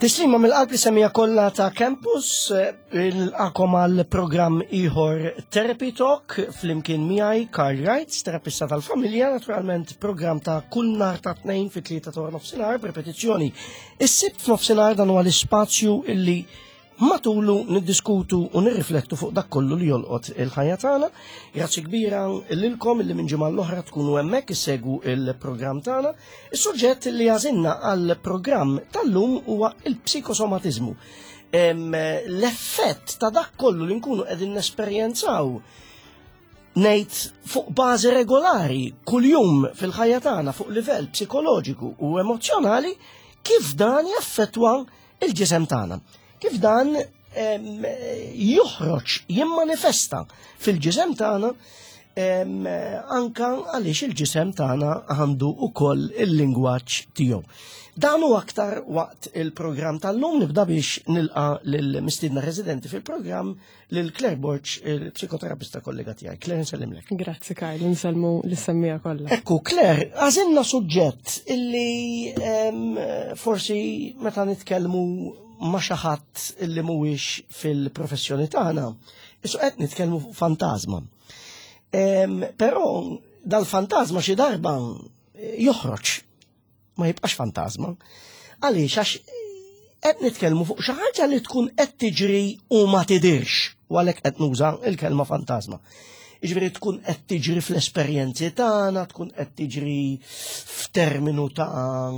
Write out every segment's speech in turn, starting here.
Tislima mill-qalb li semija kollha ta' Campus, il-għakom għal programm ieħor Therapy Talk flimkien miegħi Karl Wright, terapista tal-familja, naturalment programm ta' kull nhar ta' tnejn fit-tlieta ta' nofsinhar b'repetizzjoni. Is-sibt f'nofsinhar dan huwa l-ispazju illi Matulu niddiskutu u nirriflettu fuq dak kollu li jolqot il-ħajja tagħna. Grazzi kbira lilkom li minn ġimgħa l-oħra tkunu hemmhekk issegwu il-programm tagħna. Is-suġġett li għażilna għall-programm tal-lum huwa il-psikosomatiżmu. L-effett ta' dak kollu li nkunu qegħdin nesperjenzaw ngħid fuq bażi regolari kuljum fil-ħajja tagħna fuq livell psikoloġiku u emozzjonali kif dan jaffettwa il-ġisem tagħna. Kif dan joħroġ, jimmanifesta fil-ġisem tagħna anka għaliex il-ġisem tagħna għandu ukoll il-lingwaġġ tiegħu. Dan u aktar waqt il-programm tal-lum nibda biex nilqa lill-mistiedna residenti fil-programm lil Claire Borg, il-psikoterapista kollega tiegħi. Claire, nsellimlek. Grazzi Karl, nsellmu l-semmija kollha. Ekku, Claire, għażilna suġġett illi forsi meta nitkellmu ma' xi ħadd illi mhuwiex fil-professjoni tagħna, isu qed nitkellmu fuq fantasma. Però dal-fantasma xi darba joħroġ ma jibqax fantasma. Għaliex għax qed nitkellmu fuq xi ħaġa li tkun qed tiġri u ma tidirx, u għalhekk qed nuża l-kelma fantasma. Jiġifieri tkun qed tiġri fl-esperjenzi tagħna, tkun qed tiġri f'terminu ta'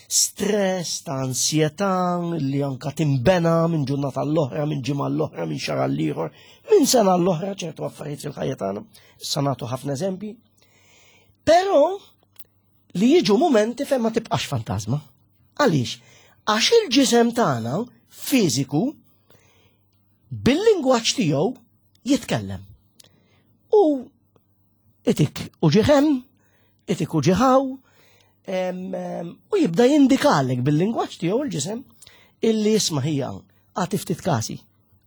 stress, ta' ansjetà li anka timbena minn ġurnata l-oħra, minn ġimgħa l-oħra, minn xahar l-ieħor, minn sena l-oħra ċertu affarijiet fil-ħajja tagħna. Issa nagħtu ħafna eżempji. Però li jiġu mumenti fejn ma tibqax fantasma. Għaliex? Għax il-ġisem tagħna fiżiku bil-lingwaġġ tiegħu jitkellem. U itik u ġiħem, itik u ġiħaw, u jibda jindikalek bil-lingwaġġ tiegħu il-ġisem illi jisma' hija għati ftit kasi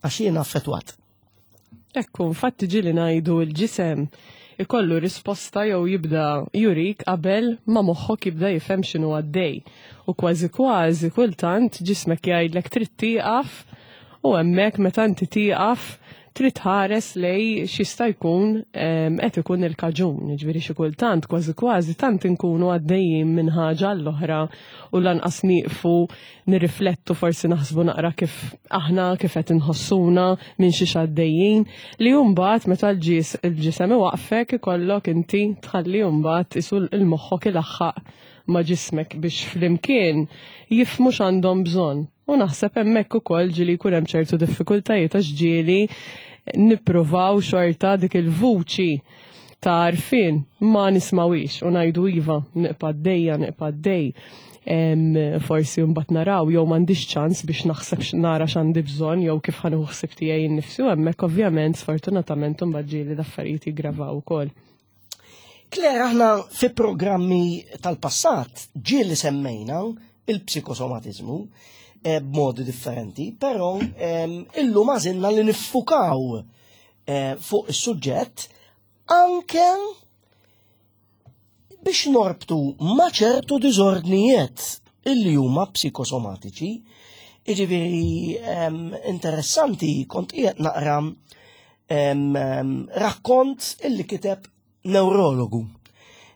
għax jiena affettwat. Ekku, infatti ġili ngħidu l-ġisem ikollu risposta jew jibda jurik qabel ma moħħok jibda jifhem x'inhu għaddej. U kważi kważi kultant ġismek jgħidlek trid tieqaf u hemmhekk meta inti tieqaf trid tħares lej x'jista' jkun qed ikun il-kaġun. Jiġifieri xi kultant kważi kważi tant inkunu għaddejjin minn ħaġa għall-oħra u lanqas nieqfu nirriflettu forsi naħsbu naqra kif aħna kif qed inħossuna minn xiex għaddejjin li mbagħad meta l-ġis il-ġisem iwaqfek ikollok inti tħalli mbagħad isu l-moħħok ilaħħaq ma' ġismek biex flimkien jifhmu x'għandhom bżonn. U naħseb hemmhekk ukoll ġieli jkun hemm ċertu diffikultajiet għax ġieli nippruvaw xorta dik il-vuċi ta' għarfien ma nismawix u ngħidu iva, nibqa' għaddejja, nibqa' għaddej. Forsi mbagħad naraw jew m'għandix ċans biex naħseb nara x'għandi bżonn jew kif ħa nieħu ħsieb tiegħi nnifsi u hemmhekk ovvjament sfortunatament imbagħad ġieli l-affarijiet jiggravaw ukoll. Claire, aħna fi programmi tal-passat ġieli semmejna il-psikosomatiżmu eh, b'modi differenti, però illum għażilna li niffukaw eh, fuq is-suġġett anke biex norbtu ma' ċertu diżordnijiet illi huma psikosomatiċi. Jiġifieri interessanti kont qiegħed naqra rakkont illi kiteb neurologu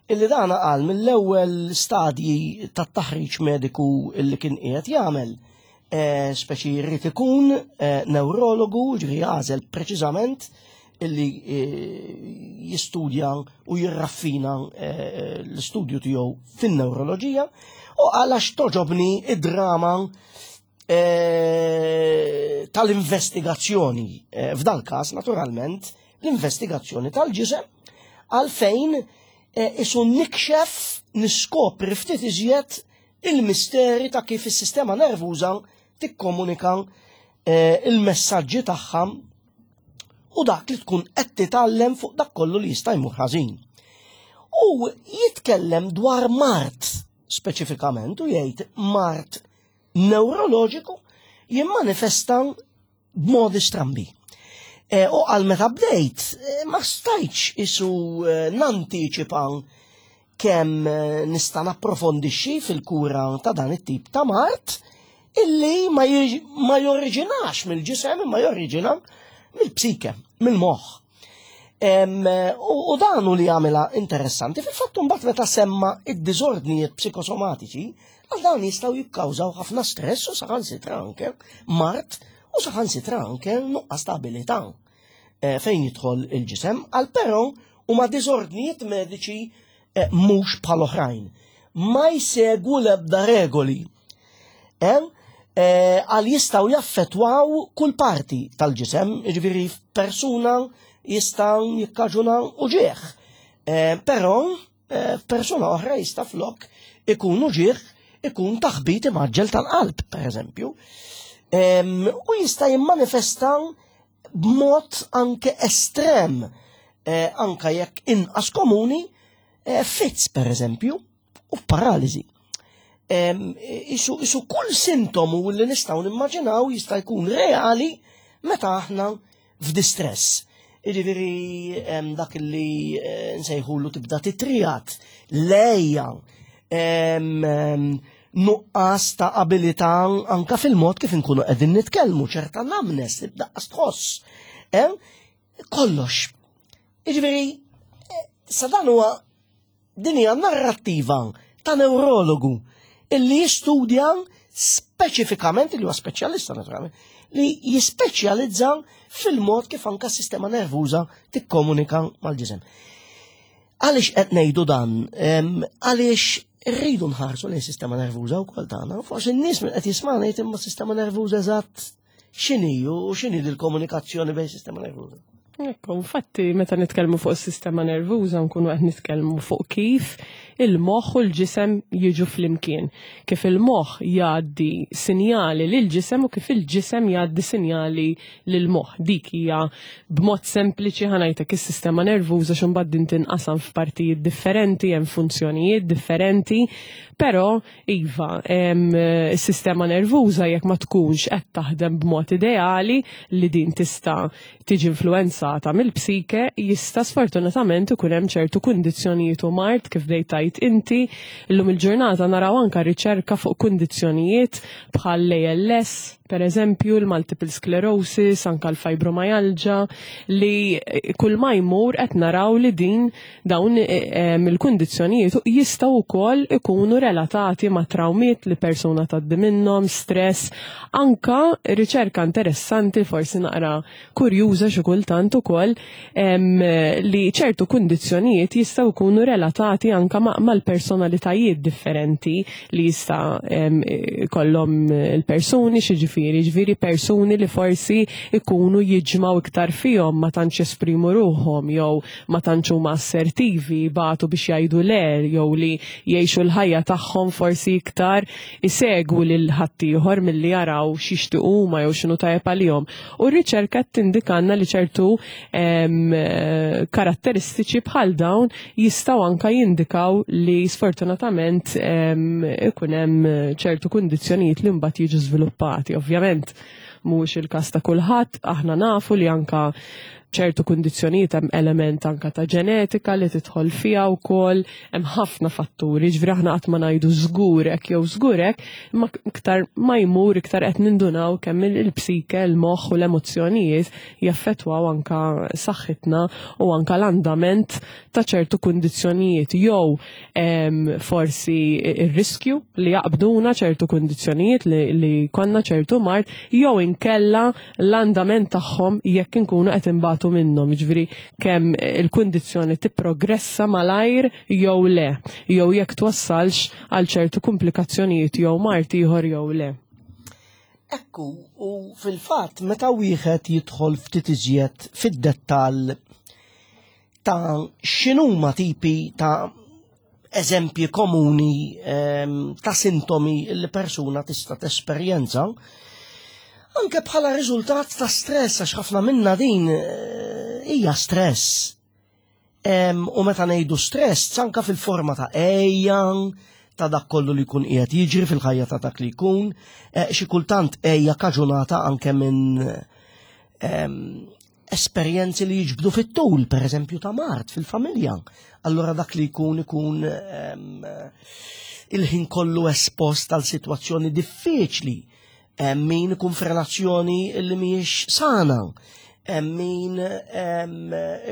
illi dan qal mill-ewwel stadji tat-taħriġ mediku illi kien qiegħed jagħmel eh, speċi jrid ikun eh, neurologu, ġifieri għażel preċiżament illi eh, jistudja u jirraffina l-istudju tiegħu fin-neuroloġija u għalax toġobni id-drama tal-investigazzjoni. F'dal każ, naturalment, l-investigazzjoni tal-ġisem għalfejn isu nikxef niskopri ftit iżjed il-misteri ta' kif is-sistema nervuża tikkomunika eh, il-messaġġi tagħha u dak li tkun qed titgħallem fuq dak kollu li jista' jmur ħażin. U jitkellem dwar mart speċifikament u jgħid mart neuroloġiku jimmanifesta b'modi strambi. E, u għal meta bdejt, e, ma stajtx isu e, nantiċipa kemm nista' napprofondixxi fil-kura ta' dan it-tip ta' mart, illi ma, ma joriġinax mill-ġisem imma joriġina mill-psike, mill-moħħ. U dan hu li jagħmilha interessanti. Fil-fatt mbagħad meta semma id-diżordnijiet psikosomatiċi, għal dawn jistgħu jikkawżaw ħafna stress u saħansitra anke mart u saħansitra anke nuqqas ta' abilità eh, fejn jidħol il-ġisem, għal però huma diżordnijiet mediċi eh, mhux bħal oħrajn. Ma jsegwu l-ebda regoli. Eh, għal jistaw jaffetwaw kull parti tal-ġisem, ġifieri persuna jista' jikkaġuna uġieħ. Eh, però persuna oħra jista' flok ikun uġieħ ikun taħbit imaġġel tal-qalb, per eżempju. U jista' jimmanifesta b'mod anke estrem, eh, anka jekk inqas komuni, eh, fits per eżempju, u paraliżi. Isu, isu kull sintomu li nistgħu nimmaġinaw jista' jkun reali meta aħna f'distress. Jiġifieri dak li eh, nsejħulu tibda titrijat, lejja, nuqqas ta' abilità anka fil-mod kif inkunu qegħdin nitkellmu, ċerta namnes tibda tħoss. Kollox. Jiġifieri, eh, sa dan huwa din hija narrattiva ta' neurologu illi jistudja speċifikament, li huwa speċjalista naturalment, li jispeċjalizza fil-mod kif anka s-sistema nervuża tikkomunika mal-ġisem. Għaliex qed ngħidu dan? Għaliex rridu nħarsu lejn sistema nervuża wkoll tagħna. Forsi n-nies minn qed jisma'na jgħid imma sistema nervuża eżatt x'inhi u x'inhi l-komunikazzjoni bejn sistema nervuża. Ekku, infatti, meta nitkellmu fuq is-sistema nervuża nkunu qed nitkellmu fuq kif il-moħħ u l-ġisem jiġu flimkien. Kif il-moħħ jgħaddi sinjali lil ġisem u kif il-ġisem jgħaddi sinjali lil moħħ. Dik hija b'mod sempliċi ħa ngħidlek is-sistema nervuża x'imbagħad din tinqasam f'partijiet differenti, hemm funzjonijiet differenti, però iva, is-sistema nervuża jekk ma tkunx qed taħdem b'mod ideali li din tista' tiġi influenzata mill-psike, jista' sfortunatament ikun hemm ċertu kundizzjonijiet u mard kif bdejt tgħid inti. Illum il-ġurnata naraw anka riċerka fuq kundizzjonijiet bħal l-ALS, per eżempju, l-multiple sclerosis, anka l-fibromyalgia, li kull ma jmur qed naraw li din dawn eh, il-kundizzjonijiet jistgħu wkoll ikunu relatati ma' trawmiet li persuna tgħaddi minnhom, stress, anka riċerka interessanti forsi naqra kurjuża xi kultant ukoll li ċertu kundizzjonijiet jistgħu jkunu relatati anka mal-personalitajiet differenti li jista' kollhom il-persuni xi ġifieri, ġifieri persuni li forsi ikunu jiġmaw iktar fihom ma tantx jesprimu ruħhom jew ma tantx huma assertivi, batu biex jgħidu le jew li jgħixu l-ħajja tagħhom forsi iktar isegwu lil ħaddieħor milli jaraw x'jixtiequ huma jew x'inhu tajjeb għalihom. U r-riċerka tindikanna li ċertu karatteristiċi bħal dawn jistgħu anka jindikaw li sfortunatament ikun hemm ċertu kundizzjonijiet li mbagħad jiġu żviluppati. Ovvjament mhuwiex il-każ ta' kulħadd, aħna nafu li anka ċertu kundizzjonijiet hemm element anka ta' ġenetika li tidħol fiha wkoll, hemm ħafna fatturi, ġifieri aħna qatt ma ngħidu żgur hekk jew żgur hekk, imma iktar ma jmur iktar qed nindunaw kemm il-psike, il-moħħ u l-emozzjonijiet jaffettwaw anka saħħitna u anka l-andament ta' ċertu kundizzjonijiet jew forsi ir-riskju li jaqbduna ċertu kundizzjonijiet li, li konna ċertu mard jew inkella l-andament tagħhom jekk inkunu qed inbatu minnhom, jiġifieri kemm il-kundizzjoni tipprogressa malajr jew le, jew jekk twassalx għal ċertu komplikazzjonijiet jew mard ieħor jew le. Ekku, u fil-fatt meta wieħed jidħol ftit iżjed fid-dettall ta' x'inhuma tipi ta' eżempji komuni ehm, ta' sintomi li persuna tista' tesperjenza anke bħala riżultat ta' stress għax ħafna minna din eh, hija stress. Ehm, u meta ngħidu stress anka fil-forma ta' ejja, ta' dak kollu li jkun qiegħed jiġri fil-ħajja ta' dak li jkun, eh, xi kultant ejja kaġunata anke minn ehm, esperjenzi li jiġbdu fit-tul, per eżempju ta' mart fil-familja. Allora dak li jkun ikun ehm, il-ħin kollu espost għal situazzjoni diffiċli. Hemm min ikun f'relazzjoni li mhijiex sana. Hemm min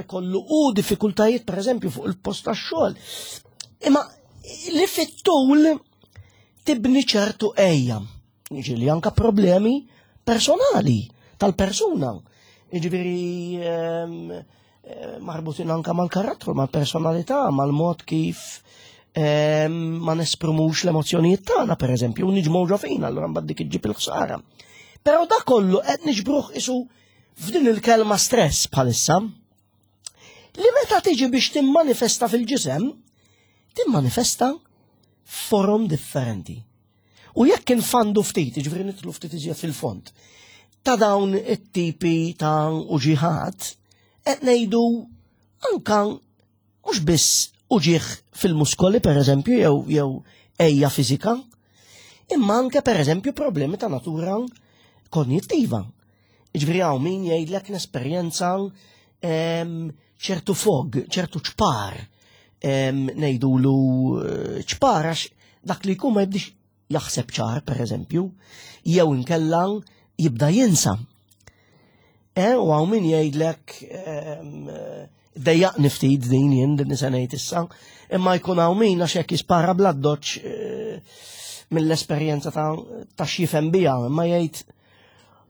ikollu u diffikultajiet pereżempju fuq il-post tax-xogħol. Imma li fit-tul tibni ċertu ejja. Ġieli anka problemi personali tal-persuna. Jiġifieri marbutin anka mal-karattru, mal-personalità, mal-mod kif ma nesprumux l-emozjonijiet tagħna, pereżempju, u niġmgħu ġo fina, allura mbagħad dik iġġib il-ħsara. Però da kollu qed niġbruh isu f'din il-kelma stress bħalissa, li meta tiġi biex timmanifesta fil-ġisem, timmanifesta forom differenti. U jekk infandu ftit, ġifieri nidħlu ftit iżjed fil-fond, ta' dawn it-tipi ta' uġiħat, qed ngħidu anka mhux biss uġieħ fil-muskoli pereżempju jew jew ejja fiżika, imma anke pereżempju problemi ta' natura konjittiva. Ġifieri hawn min jgħidlek nesperjenza ċertu fog, ċertu ċpar, ngħidulu eh, ċpar għax dak li jkun ma jibdix jaħseb ċar, per eżempju, jew inkella jibda jinsa. Eh, u hawn min jgħidlek dejjaqni ftit din jien din se ngħid issa, imma jkun hawn min għax hekk jispara bl-addoċ eh, mill-esperjenza ta' x'jifhem biha, imma jgħid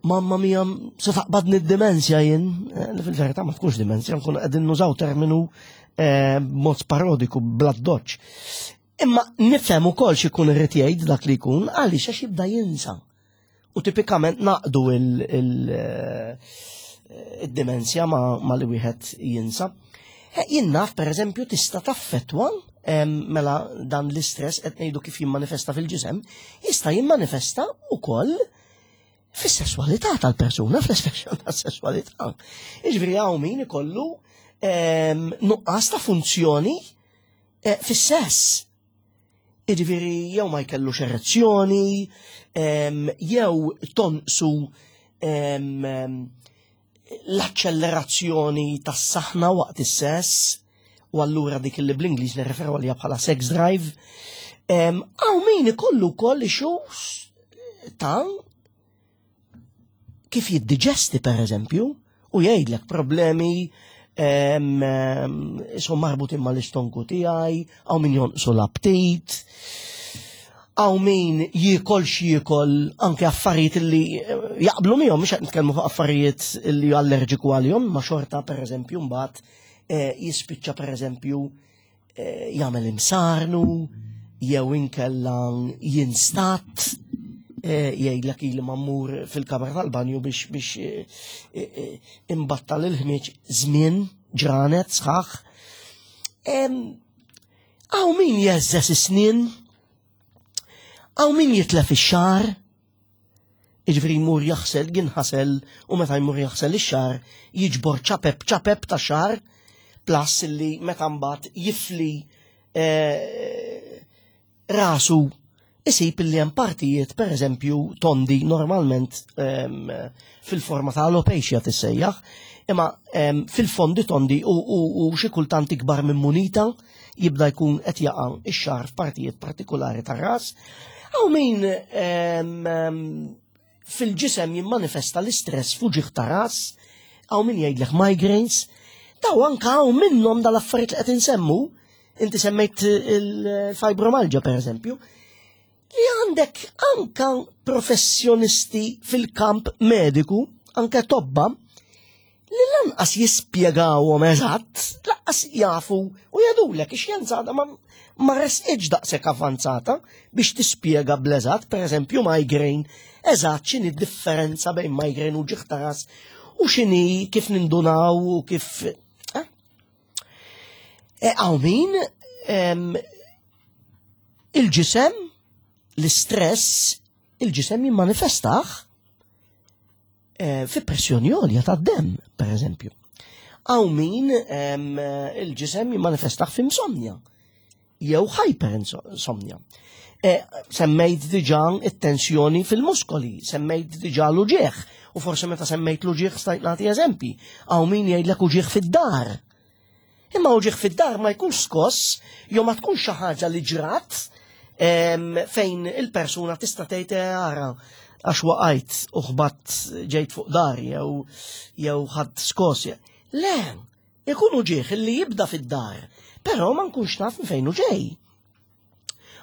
mamma mia se taqbadni d-dimensja jien, eh, li fil-verità ma tkunx dimensja, nkun qegħdin nużaw terminu eh, mod parodiku bl-addoċ. Imma nifhem ukoll x'ikun irid jgħid dak li jkun għaliex għax jibda jinsa. U tipikament naqdu eh, il-dimensja ma li wieħed jinsa. Jien naf pereżempju tista' taffettwa mela dan l-istress qed ngħidu kif jimmanifesta fil-ġisem, jista' jimmanifesta wkoll fis-sesswalità tal-persuna, fl-espressjoni tas-sesswalità. Jiġifieri hawn min ikollu nuqqas ta' funzjoni eh, fis-sess. Jiġifieri jew ma jkellux erezzjoni, jew tonqsu l-aċċellerazzjoni tas-saħna waqt is-sess, u allura dik li bl-Ingliż nirreferu għalija bħala sex drive. Hawn min ikollu wkoll issues ta' kif jiddiġesti per eżempju u jgħidlek problemi isom marbutin mal-istonku tiegħi, hawn min jonqsu l-aptit, hawn min jiekol x'jiekol anke affarijiet li eh, jaqblu miegħu mhux qed nitkellmu fuq affarijiet li allerġiku għalihom, ma xorta pereżempju mbagħad eh, jispiċċa pereżempju eh, jagħmel imsarnu jew inkella jinstat eh, jgħidlek ili ma mmur fil-kamra tal-banju biex biex eh, imbattal il-ħmieġ żmien ġranet sħaħ. Hawn min jeżżes is-snien, hawn min jitlef ix-xagħar, Jiġifieri jmur jaħsel, jinħasel u meta jmur jaħsel ix-xagħar jiġbor ċapep ċapep ta' xagħar plus li meta mbagħad jifli eh, rasu isib li hemm partijiet pereżempju tondi normalment ehm, fil-forma ta' alopecia tissejjaħ, imma ehm, fil-fondi tondi u, u, u xi kultant ikbar minn munita jibda jkun qed jaqa' ix-xagħar f'partijiet partikolari tar-ras. Hawn min fil-ġisem jimmanifesta l-istress fuġiħ ta' ras, hawn min jgħidlek migraines, daw anka hawn minnhom dal-affarijiet li qed insemmu, inti semmejt il-fibromalgia per eżempju, li għandek anka professjonisti fil-kamp mediku, anke tobba, li lanqas jispjegawhom eżatt, lanqas jafu u jgħidulek ix-xjenza għadha ma, ma resqitx daqshekk avvanzata biex tispjega bl-eżatt, pereżempju migraine, eżatt x'inhi d-differenza bejn migraine u ġieħ ta' ras u x'inhi kif nindunaw u kif. Eh? E, hawn min il-ġisem, l-istress, il-ġisem jimmanifestaħ eh, fi pressjoni għolja ta' dem, per eżempju. Hawn min il-ġisem jimmanifestaħ fi insomnia, jew hyperinsomnia. E, semmejt diġa it-tensjoni fil-muskoli, semmejt diġa l-uġieħ, u forse meta semmejt l-uġieħ stajt nagħti eżempi. Hawn min jgħidlek uġieħ fid-dar. Imma uġieħ fid-dar ma jkunx skoss, jew ma tkunx xi ħaġa li ġrat fejn il-persuna tista' tgħid eh, ara. għax waqajt u ħbatt ġejt fuq dari jew jew ħadd skos. Le, ikun uġigħ li jibda fid-dar, però ma nkunx naf minn fejn hu ġej.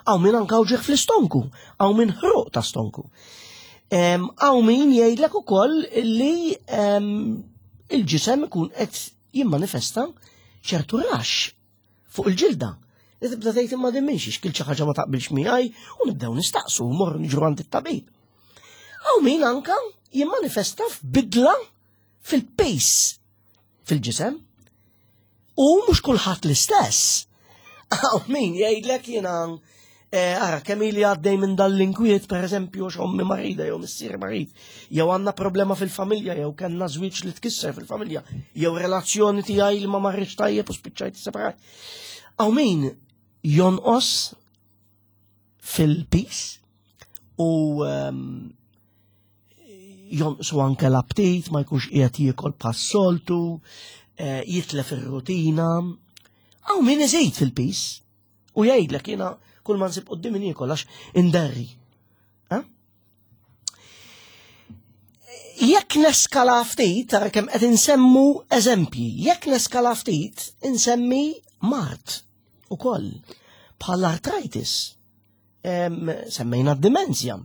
Hawn min anka uġigħ fl-istonku, hawn min ħruq ta' stonku. Hawn min jgħidlek ukoll li il-ġisem ikun qed jimmanifesta ċertu rax fuq il-ġilda. Li tibda tgħid imma din minx xkil xi ħaġa ma taqbilx miegħi u nibdew nistaqsu u morru niġru għand it-tabib. Hawn min anka jimmanifesta f'bidla fil-pace fil-ġisem. U mhux kulħadd l-istess. Hawn min jgħidlek jiena eh, ara kemm ili għaddej minn dal-inkwiet, per eżempju, x'ommi marida jew missier marid, jew għandna problema fil-familja, jew kellna żwieġ li tkisser fil-familja, jew relazzjoni tiegħi li ma marriċ tajjeb u spiċċajt separat. Hawn min jonqos fil-pis u ehm, jonqsu anke l-aptit, ma jkunx qiegħed jiekol bħas-soltu, eh, jitlef ir-rutina. Hawn min iżid fil-pis u jgħidlek jiena kull ma nsib qudiem niekol għax inderri. Eh? Jekk neskala ftit, tara kemm qed insemmu eżempji, jekk neskala ftit, insemmi mart ukoll bħal artritis Semmejna d-dimenzja,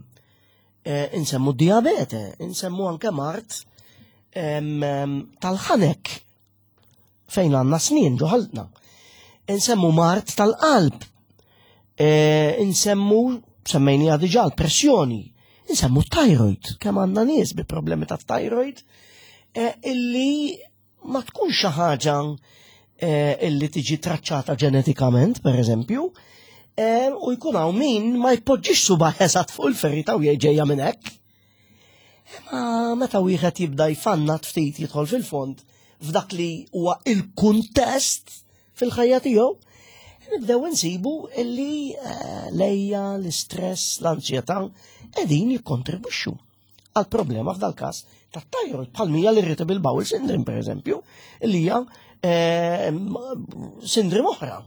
eh, insemmu d-diabete, insemmu anke mart tal-ħanek fejn għandna snin ġoħaltna. Insemmu mart tal-qalb, eh, insemmu semmejni diġà l-pressjoni, insemmu thyroid, kemm għandna nies bi problemi ta' thyroid, eh, illi ma tkunx xi ħaġa eh, illi tiġi traċċata ġenetikament, per eżempju, eh, u jkun hawn min ma jpoġġix suba eżatt fuq il-ferita u ġejja minn hekk. Ma meta wieħed jibda jfannat ftit jidħol fil-fond f'dak li huwa il-kuntest fil-ħajja tiegħu, nibdew insibu illi eh, lejja, l-istress, l-anzjetà qegħdin jikkontribwixxu. għal problema f'dal każ ta' thyroid bħal mija l-irritable bowel syndrome per eżempju, li hija eh, sindrim oħra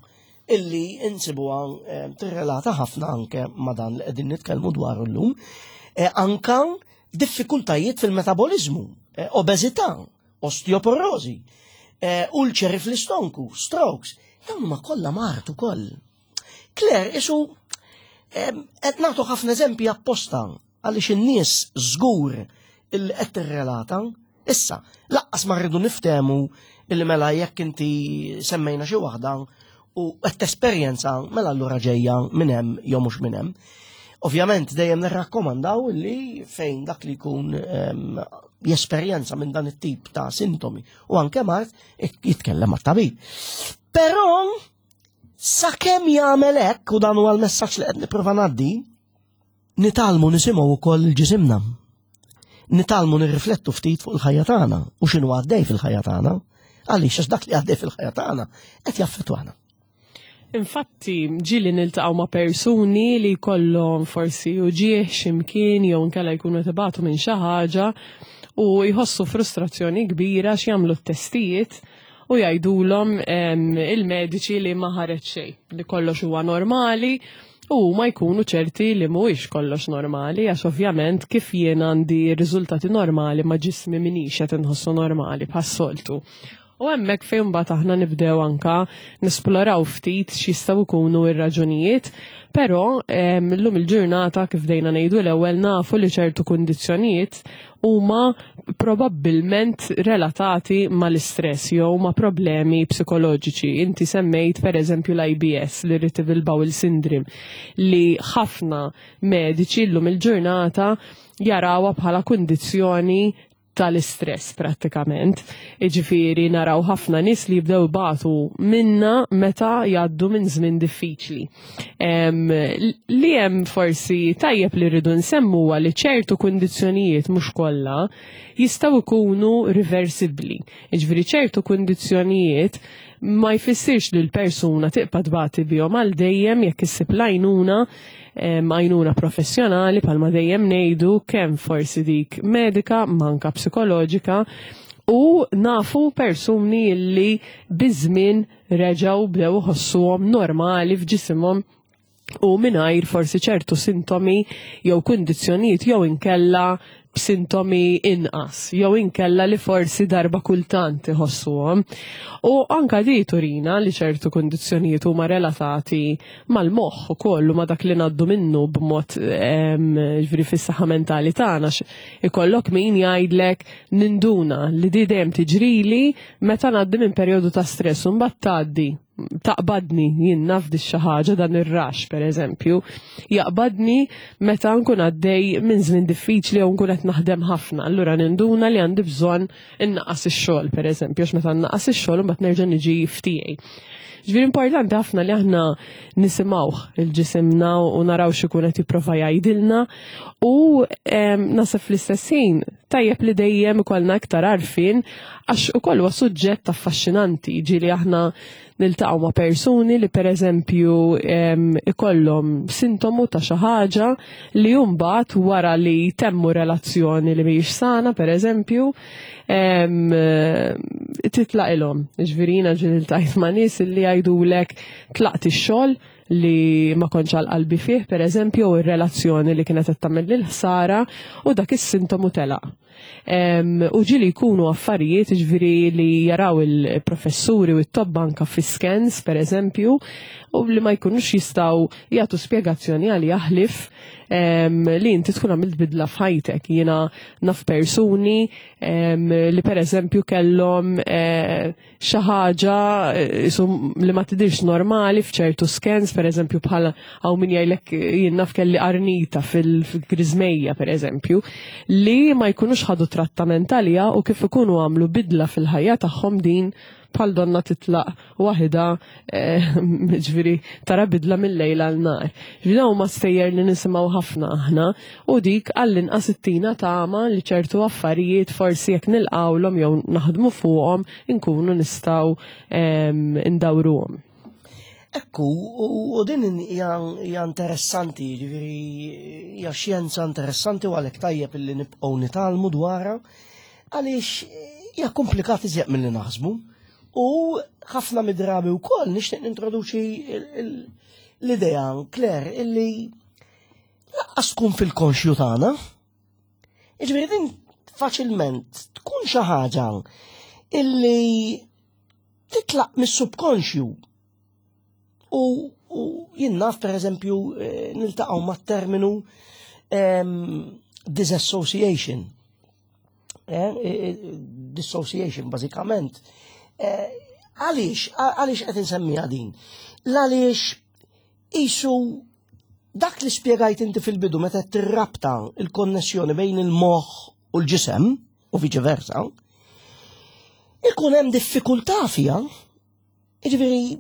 illi insibuha eh, tirrelata ħafna anke ma' dan li qegħdin nitkellmu dwar illum, eh, anka diffikultajiet fil-metabolizmu, obeżità, osteoporosi, ulċeri fl-istonku, strokes, dawn huma kollha mart ukoll. Claire, isu qed nagħtu ħafna eżempji apposta għaliex in-nies żgur illi qed tirrelata. Issa, laqqas ma rridu niftehmu illi mela jekk inti semmejna xi waħda u qed tesperjenza mela allura ġejja minn hemm jew mhux minn hemm. Ovvjament dejjem nirrakkomandaw li fejn dak li jkun jesperjenza minn dan it-tip ta' sintomi u anke mart jitkellem mat-tabib. Però sakemm jagħmel hekk u dan huwa l-messaġġ li qed nipprova ngħaddi, Nitgħallmu nisimgħu wkoll il-ġisimna. Nitgħallmu nirriflettu ftit fuq il-ħajja tagħna u x'inhu għaddej fil-ħajja tagħna. Għaliex għax dak li għaddej fil-ħajja tagħna qed jaffettwana. Infatti, ġili niltaqgħu ma' persuni li jkollhom forsi uġieħ x'imkien jew inkella jkunu tibatu minn xi ħaġa u jħossu frustrazzjoni kbira x'jagħmlu t-testijiet u jgħidulhom il-mediċi li ma ħareġ xejn, li kollox huwa normali u huma jkunu ċerti li mhuwiex kollox normali għax ovvjament kif jien għandi riżultati normali ma ġismi minix qed inħossu normali bħas-soltu. U hemmhekk fejn mbagħad aħna nibdew anka nisploraw ftit x'jistgħu jkunu r-raġunijiet, però llum il-ġurnata kif dejna ngħidu l-ewwel nafu li ċertu kundizzjonijiet huma probabbilment relatati mal-istress jew ma' problemi psikoloġiċi. Inti semmejt per eżempju l-IBS, l-Irritable Bowel Syndrome, li ħafna mediċi llum il-ġurnata jarawha bħala kundizzjoni tal-istress prattikament. Iġifieri naraw ħafna nies li jibdew ibatu minna meta jgħaddu minn żmien diffiċli. Li hemm forsi tajjeb li rridu nsemmu huwa li ċertu kundizzjonijiet mhux kollha jistgħu jkunu riversibbli. Jiġifieri ċertu kundizzjonijiet ma jfissirx li l-persuna tibqa' tbati bihom għal dejjem jekk issib l-għajnuna għajnuna professjonali palma dejjem ngħidu kemm forsi dik medika manka psikoloġika u nafu persuni li biż-żmien reġgħu bdew iħossuhom normali f'ġisimhom. U mingħajr forsi ċertu sintomi jew kundizzjonijiet jew inkella b'sintomi inqas jew inkella li forsi darba kultant iħossuhom. U anka di turina li ċertu kundizzjonijiet huma relatati mal-moħħ ukoll u ma dak li ngħaddu minnu b'mod ġifieri fis-saħħa mentali tagħna ikollok min jgħidlek ninduna li di dejjem tiġrili meta ngħaddi minn perjodu ta' stress u mbagħad tgħaddi taqbadni jien naf di xi ħaġa dan ir-rax pereżempju, jaqbadni meta nkun għaddej minn żmien diffiċli jew nkun qed naħdem ħafna. Allura ninduna li għandi bżonn innaqqas ix-xogħol pereżempju, għax meta nnaqqas ix-xogħol imbagħad nerġa' niġi f'tiegħi. Ġifieri importanti ħafna li aħna nisimgħuh il-ġisimna u naraw x'ikun qed jipprova jgħidilna u naħseb fl-istess ħin tajjeb li dejjem ikollna iktar għarfien għax ukoll huwa suġġett affaxxinanti, ġieli aħna niltaqgħu ma' persuni li pereżempju ikollhom sintomu ta' xi ħaġa li mbagħad wara li jtemmu relazzjoni li mhijiex sana pereżempju titlaqilhom. Ġifieri jiena ġieli ltqajt ma' nies li jgħidulek tlaqt ix-xogħol li ma kontx għal qalbi fih, per eżempju, u r-relazzjoni li kienet qed tagħmel lil ħsara u dak is-sintomu telaq. U ġieli jkunu affarijiet ġifieri li jaraw il-professuri u t-tobba anka fi scans, per eżempju, u li ma jkunux jistgħu jagħtu spjegazzjoni għal jaħlif li inti tkun għamilt bidla f'ħajtek. Jiena naf persuni li per eżempju kellhom eh, xi ħaġa eh, li ma tidirx normali f'ċertu scans, per eżempju bħala hawn min jgħidlek eh, jien naf kelli qarnita fil-griżmejja per eżempju, li ma jkunux ħadu trattament għaliha u kif ikunu għamlu bidla fil-ħajja tagħhom din bħal donna titlaq waħida eh, ġifieri tara bidla mill-lejl għal nar. Ġifieri dawn huma stejjer li nisimgħu ħafna aħna u dik għall-inqas ittina tama li ċertu affarijiet forsi jekk nilqawlhom jew naħdmu fuqhom inkunu nistgħu ehm, ndawruhom. Ekku, u din hija interessanti, ġifieri hija xjenza interessanti u għalhekk tajjeb illi nibqgħu nitgħallmu dwarha għaliex hija komplikati iżjed milli naħsbu. U ħafna mid-drabi wkoll nixtieq nintroduċi l-idea, Claire, illi laqqas tkun fil-konxju tagħna. Jiġifieri din faċilment tkun xi ħaġa illi titlaq mis-subkonxju. U, u jien naf pereżempju eh, niltaqgħu mat-terminu ehm, disassociation. Eh, eh, eh, dissociation bażikament. Għaliex, għaliex qed insemmiha din? L-għaliex isu dak li spjegajt inti fil-bidu meta tirrabta il-konnessjoni bejn il-moħħ u l-ġisem u viċi versa, ikun hemm diffikultà fiha Jiġifieri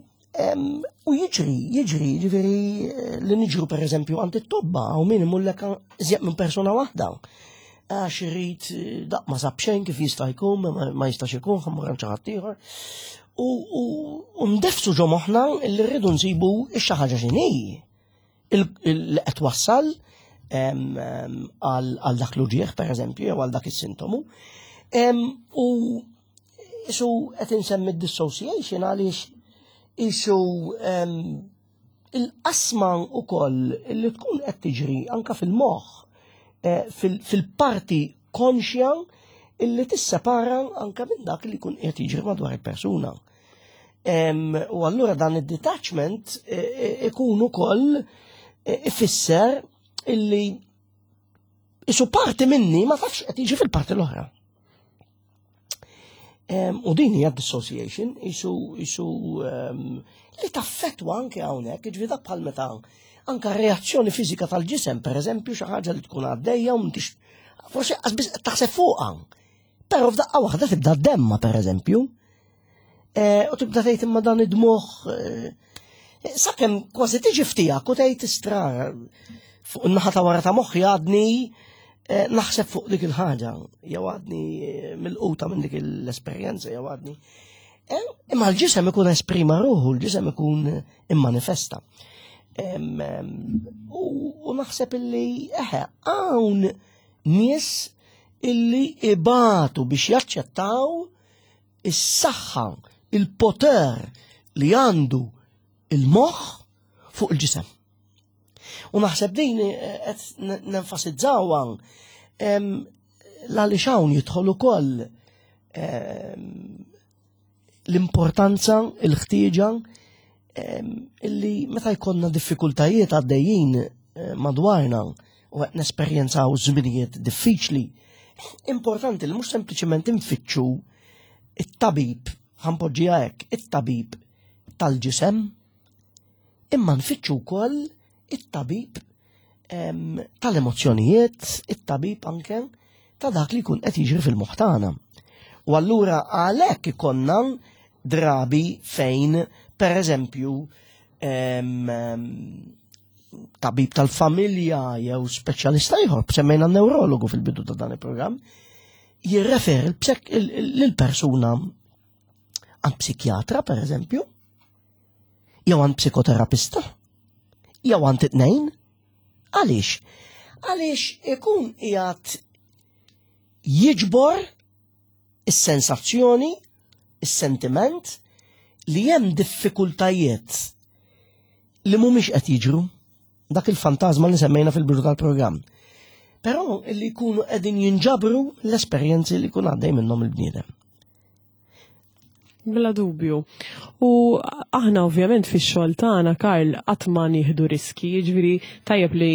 u jiġri, jiġri, jiġifieri eh, li niġru pereżempju għand it-tobba u min imullek iżjed minn persuna waħda. Għax irid eh, daq ma sab xejn kif jista' jkun, ma jistax ikun, ħammur għand xi ħadd ieħor. U ndefsu ġo moħħna li rridu nsibu x-xi ħaġa x'inhi li qed wassal għal dak l-uġieħ pereżempju jew għal dak is-sintomu. U Isu qed insemmi dissociation għaliex isu il-qasma ukoll li tkun qed tiġri anka fil-moħħ eh, fil-parti konxja illi tissepara anka minn dak li jkun qed jiġri madwar il-persuna. U allura dan id-detachment eh, eh, ikun ukoll ifisser illi isu parti minni ma tafx qed jiġi fil-parti l-oħra. U din hija dissociation, isu isu li taffetwa anke hawnhekk, jiġifieri dak bħal meta anke reazzjoni fiżika tal-ġisem, pereżempju xi ħaġa li tkun għaddejja u m'intix forsi qas taħseb fuqha. Però f'daqqa waħda tibda demma pereżempju. E, u tibda tgħid imma dan id-dmuħ e, sakemm kważi tiġi ftijak u tgħid istra fuq in-naħa ta' wara ta' moħħi għadni Eh, naħseb fuq dik il-ħaġa, jew għadni eh, mill-quta minn dik l-esperjenza, jew għadni. Eh, imma l-ġisem ikun esprima ruħu, l-ġisem ikun immanifesta. U naħseb illi, eħe, hawn nies illi ibatu biex jaċċettaw is-saħħa, il-poter li għandu il-moħħ fuq il-ġisem. U naħseb din eh, qed nenfasizzawha l-għaliex hawn jidħol ukoll l-importanza, il-ħtieġa illi meta jkollna diffikultajiet għaddejjin eh, madwarna u qed nesperjenzaw żminijiet diffiċli, importanti li mhux sempliċement infittxu it-tabib, ħanpoġġiha hekk, it-tabib tal-ġisem, imma nfittxu wkoll it-tabib tal-emozzjonijiet, it-tabib anke ta' dak li jkun qed jiġri fil-moħħ tagħna. U allura għalhekk ikonna drabi fejn, per eżempju, tabib tal-familja jew speċjalista ieħor, semmejna neurologu fil-bidu ta' dan il-programm, jirreferi lill-persuna għand psikjatra, per eżempju, jew għand psikoterapista, jew għand it-tnejn. Għaliex? Għaliex ikun qiegħed jiġbor is-sensazzjoni, is-sentiment li hemm diffikultajiet li mhumiex qed jiġru dak il-fantażma li semmejna fil-bidu tal-programm. Però li jkunu qegħdin jinġabru l-esperjenzi li jkun għaddej minnhom il-bniedem. Bla dubju. U aħna ovvjament fix-xogħol tagħna, Karl, qatt ma nieħdu riski, jiġifieri tajjeb li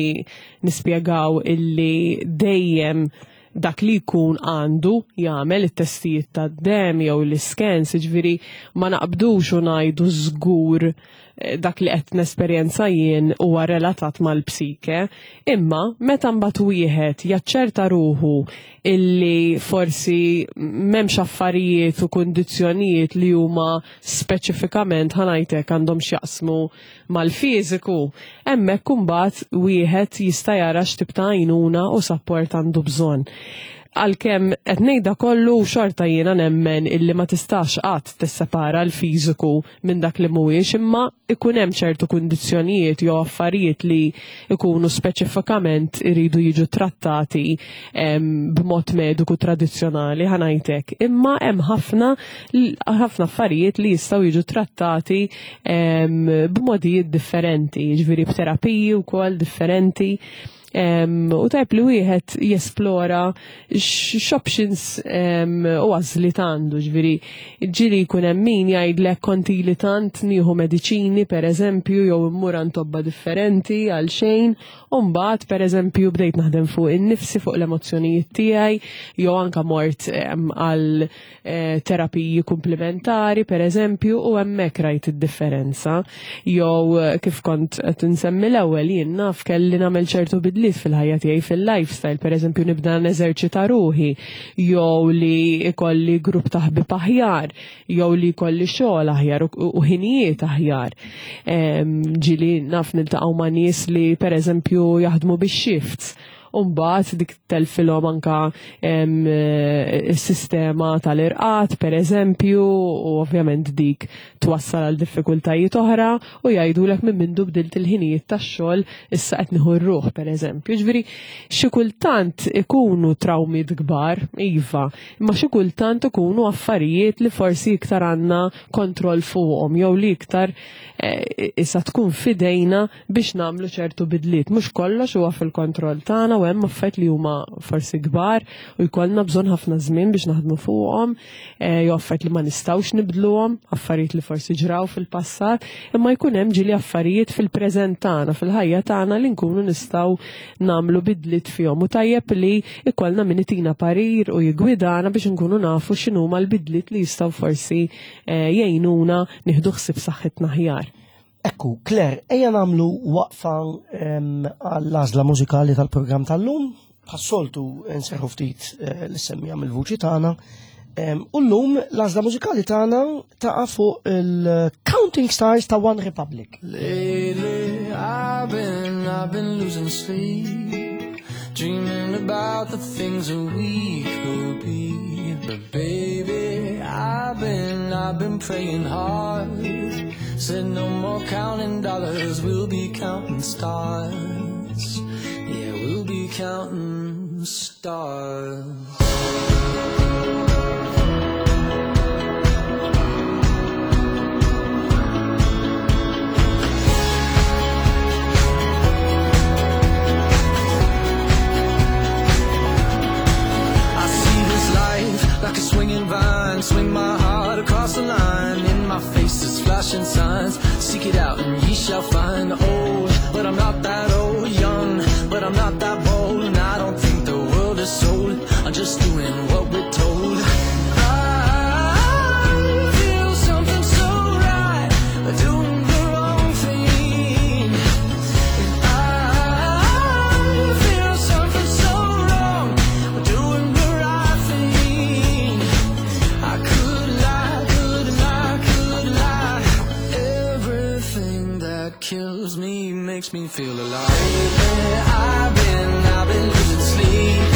nispjegaw illi dejjem dak li jkun għandu jagħmel it-testijiet tad-demm jew l-iskens, jiġifieri ma naqbdux u ngħidu żgur eh, dak li qed nesperjenza jien huwa relatat mal-psike, imma meta mbagħad wieħed jaċċerta ruħu illi forsi m'hemmx affarijiet u kundizzjonijiet li huma speċifikament ħanajtek għandhom x'jaqsmu mal-fiżiku, hemmhekk imbagħad wieħed jista' jara x'tip ta' għajnuna u sapport għandu bżonn. Għalkemm qed ngħidha kollu xorta jiena nemmen illi ma tistax qatt tissepara l-fiżiku minn dak li mhuwiex imma ikun hemm ċertu kundizzjonijiet jew affarijiet li ikunu speċifikament iridu jiġu trattati b'mod mediku tradizzjonali ħanajtek. Imma hemm ħafna ħafna affarijiet li jistgħu jiġu trattati b'modijiet differenti, jiġifieri b'terapiji wkoll differenti. U tajb li wieħed jesplora x'options u għażliet għandu, ġifieri ġieli jkun hemm min jgħidlek konti li tant nieħu mediċini pereżempju jew immur għand tobba differenti għal xejn, u mbagħad pereżempju bdejt naħdem fuq innifsi fuq l-emozzjonijiet tiegħi jew anka mort għal eh, terapiji komplementari pereżempju u hemmhekk rajt id-differenza. Jew eh, kif kont qed insemmi l-ewwel jien naf kelli nagħmel ċertu bidliet fil-ħajja tiegħi fil-lifestyle, pereżempju nibda neżerċita ruħi, jew li ikolli grupp ta' ħbieb aħjar, jew li jkolli xogħol aħjar u ħinijiet aħjar. Ġieli naf niltaqgħu ma' nies li pereżempju jaħdmu bix-shifts u mbagħad dik telfilhom anka is-sistema tal-irqat pereżempju u ovvjament dik twassal għal diffikultajiet oħra u jgħidulek minn mindu bdilt il-ħinijiet tax-xogħol issa qed nieħu r-ruħ pereżempju. Ġifieri xi kultant ikunu trawmiet kbar, iva, imma xi kultant ikunu affarijiet li forsi iktar għandna kontroll fuqhom jew li iktar eh, issa tkun fidejna biex nagħmlu ċertu bidliet. Mhux kollox huwa fil-kontroll tagħna u hemm affarijiet li huma forsi kbar u jkollna bżonn ħafna żmien biex naħdmu fuqhom, eh, jew affarijiet li ma nistgħux nibdluhom, affarijiet li forsi ġraw fil-passat, imma jkun hemm ġieli affarijiet fil-preżent tagħna, fil-ħajja tagħna li nkunu nistgħu nagħmlu bidliet fihom u tajjeb li ikollna min itina parir u jigwidana biex nkunu nafu x'inhuma l-bidliet li jistgħu forsi eh, jgħinuna nieħdu ħsieb saħħitna aħjar. Ekku, Claire, ejja nagħmlu waqfa għall-għażla mużikali tal-programm tal-lum. Bħas-soltu nserħu ftit eh, l-semmija mill-vuċi tagħna. U llum l-għażla mużikali tagħna taqa' fuq il-Counting Stars ta' One Republic. Lately I've been, I've been losing sleep Dreaming about the things that we could be But baby, I've been, I've been praying hard Said no more counting dollars, we'll be counting stars Yeah, we'll be counting stars Swing my heart across the line. In my face is flashing signs. Seek it out and ye shall find. Old, but I'm not that old. Young, but I'm not that bold. And I don't think the world is sold. I'm just doing what we're told. I feel something so right. Doing the wrong thing. I feel something so wrong. Doing the right thing. I could lie, could lie, could lie. Everything that kills me makes me feel alive. Lately, I've been losing sleep,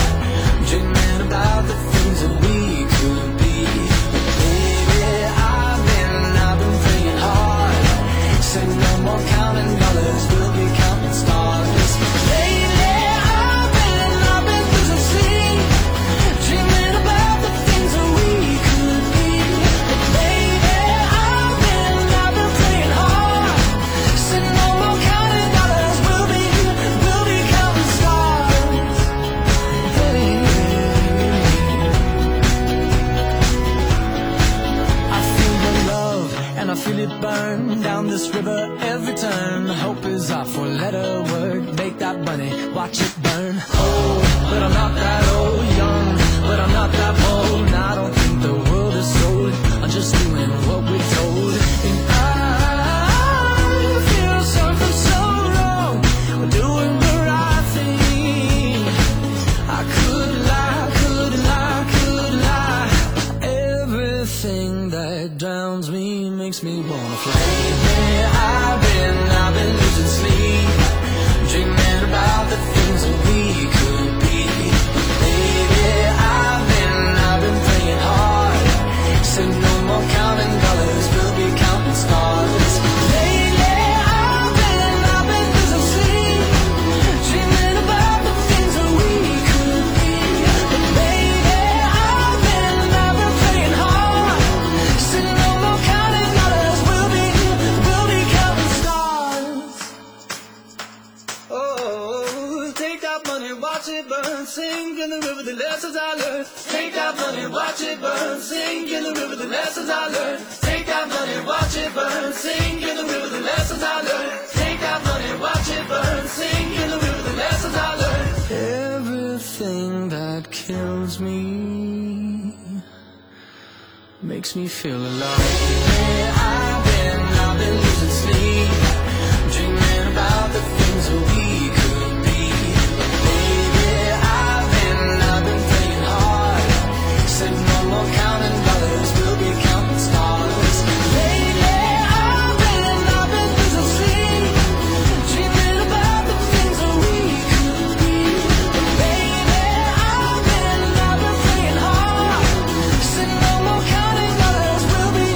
dreaming about the things that we could be. Baby, I've been praying hard. Said no more counting dollars, we'll be counting stars. Lately, I've been losing sleep, dreaming about the things that we could be. Baby, I've been praying hard. Said no more counting dollars, we'll be counting stars. Baby. I feel the love and I feel it burn down this river every turn. Hope is our four-letter word. Make that money, watch it burn. Old, but I'm not that old. Young, but I'm not that bold. And I don't think the world is sold. I'm just doing what we're told. And I feel something so wrong. We're doing the right thing. I could lie, could lie, could lie. Everything that drowns me makes me wanna fly. Lately, I've been losing sleep, dreaming about the things that we could be. Baby, I've been praying hard. Said no more counting dollars, we'll be counting stars. Lately, I've been losing sleep, dreaming about the things that we could be. Baby, I've been praying hard. Said no more counting dollars, we'll be counting stars. Oh, take that money, watch it burn, sink in the river, the lessons I learned. Take that money, watch it burn, sink in the river, the lessons I learned. Take that money, watch it burn, sink in the river, the lessons I learned. Take that money, watch it burn, sink in the river, the lessons I learned. Everything that kills me makes me feel alive. Lately, I've been losing sleep, dreaming about the things that we could be. Baby, I've been praying hard. Said no more counting dollars, we'll be counting stars. Lately, I've been losing sleep, dreaming about the things that we could be. Baby, I've been praying hard. Said no more counting dollars, we'll be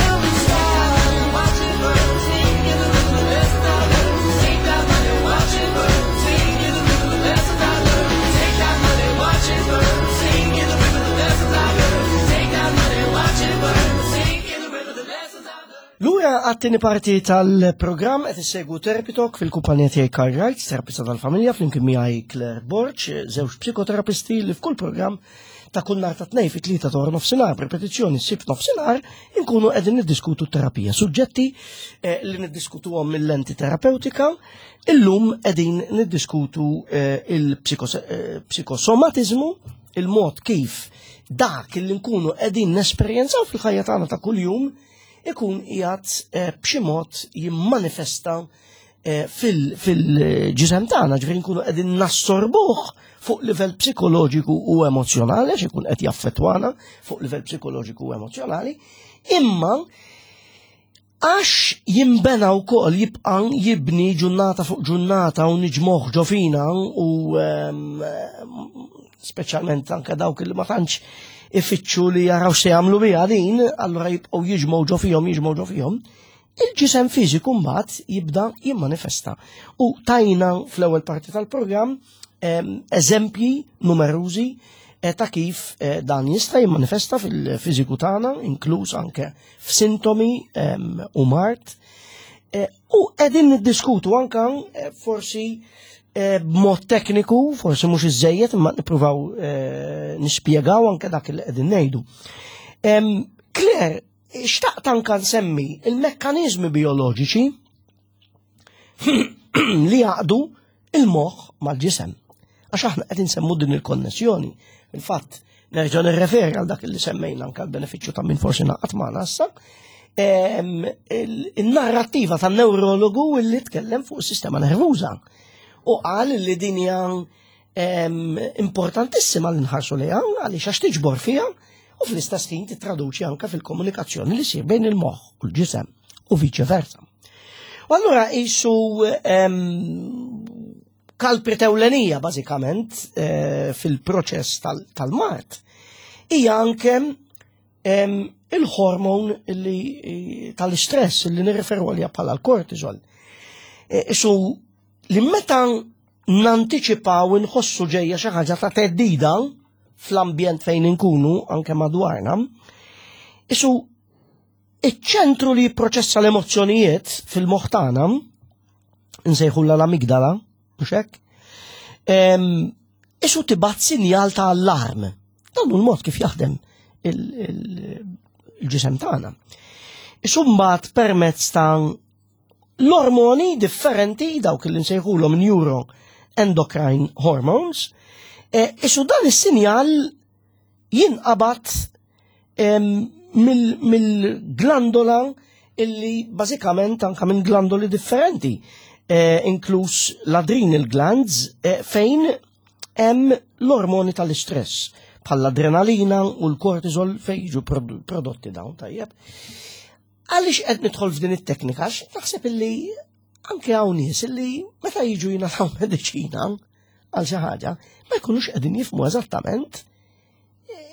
counting stars. Watch it burn, sink in the river, the lessons I learned. Take that money, watch it burn, sink in the river, the lessons I learned. Take that money, watch it burn, sink in the river, the lessons I learned. Take that money, watch it burn, sink in the river, the lessons I learned. Lura għat-tieni parti tal-programm qed issegwu Therapy Talk fil-kumpanija tiegħi Karl Wright, terapista tal-familja, flimkien miegħi Claire Borg, żewġ psikoterapisti li f'kull programm ta' kull nhar ta' tnejn fit-3 ta' wara nofsinhar, b'ripetizzjoni s-Sibt nofsinhar, inkunu qegħdin niddiskutu terapija. Suġġetti li niddiskutuhom mill-lenti terapeutika, illum qegħdin niddiskutu il-psikosomatizmu, il-mod kif dak li nkunu qegħdin nesperjenzaw fil-ħajja tagħna ta' kuljum ikun qiegħed b'xi mod jimmanifesta fil-ġisem tagħna, ġifieri nkunu qegħdin nassorbuh fuq livell psikoloġiku u emozjonali, għax ikun qed jaffettwana fuq livell psikoloġiku u emozjonali, imma għax jimbena wkoll jibqa' jibni ġurnata fuq ġurnata u niġmoħ ġo fina u speċjalment anke dawk li ma tantx ifittxu li jaraw se jagħmlu biha din, allura jibqgħu jiġmgħu ġo fihom, jiġmgħu ġo fihom. Il-ġisem fiżiku mbagħad jibda jimmanifesta. U tajna fl-ewwel parti tal-programm eżempji numerużi ta' kif dan jista' jimmanifesta fil-fiżiku tagħna, inkluż anke f'sintomi u mard. U qegħdin niddiskutu anke forsi b'mod tekniku, forsi mhux iżejjed, imma nippruvaw nispjegaw anke dak li qegħdin ngħidu. Claire, xtaqt anka nsemmi il-mekkaniżmi bioloġiċi li jaqdu il-moħħ mal-ġisem. Għax aħna qed insemmu din il-konnessjoni. Il-fatt, nerġa' nirreferi għal dak li semmejna anka l-benefiċċju ta' min forsi naqat magħna issa, il-narrattiva tan neurologu li tkellem fuq is-sistema nervuża. U qal li din hija importantissima li nħarsu lejha għaliex għax tiġbor fiha u fl-istess ħin titraduċi anke fil-komunikazzjoni li sir bejn il-moħħ u l-ġisem u viċe versa. U allura qisu kalpri ewlenija bażikament eh, fil-proċess tal-mart hija anke il-hormon li eh, tal-istress li nirreferu għalija bħala l-kortisol. Eh, isu li meta nantiċipaw inħossu ġejja xi ħaġa ta' teddida fl-ambjent fejn inkunu anke madwarna, isu iċ-ċentru li jipproċessa l-emozzjonijiet fil-moħħ tagħna, nsejħu l-amigdala, mhux hekk? Isu tibgħat sinjal ta' allarm. Dan hu l-mod kif jaħdem il-ġisem tagħna. Isu mbagħad permezz ta' l-ormoni differenti dawk li nsejħulhom neuroendocrine hormones, e, isu dan is-sinjal jinqabad mill-glandola illi bażikament anka minn glandoli differenti, eh, inkluż l-adrenal glands eh, fejn hemm l-ormoni tal-istress bħall-adrenalina u l-kortisol fejn jiġu prodotti dawn tajjeb. Għaliex qed nidħol f'din it-teknika? Għax naħseb illi anke hawn nies illi meta jiġu jingħataw mediċina għal xi ħaġa, ma jkunux qegħdin jifhmu eżattament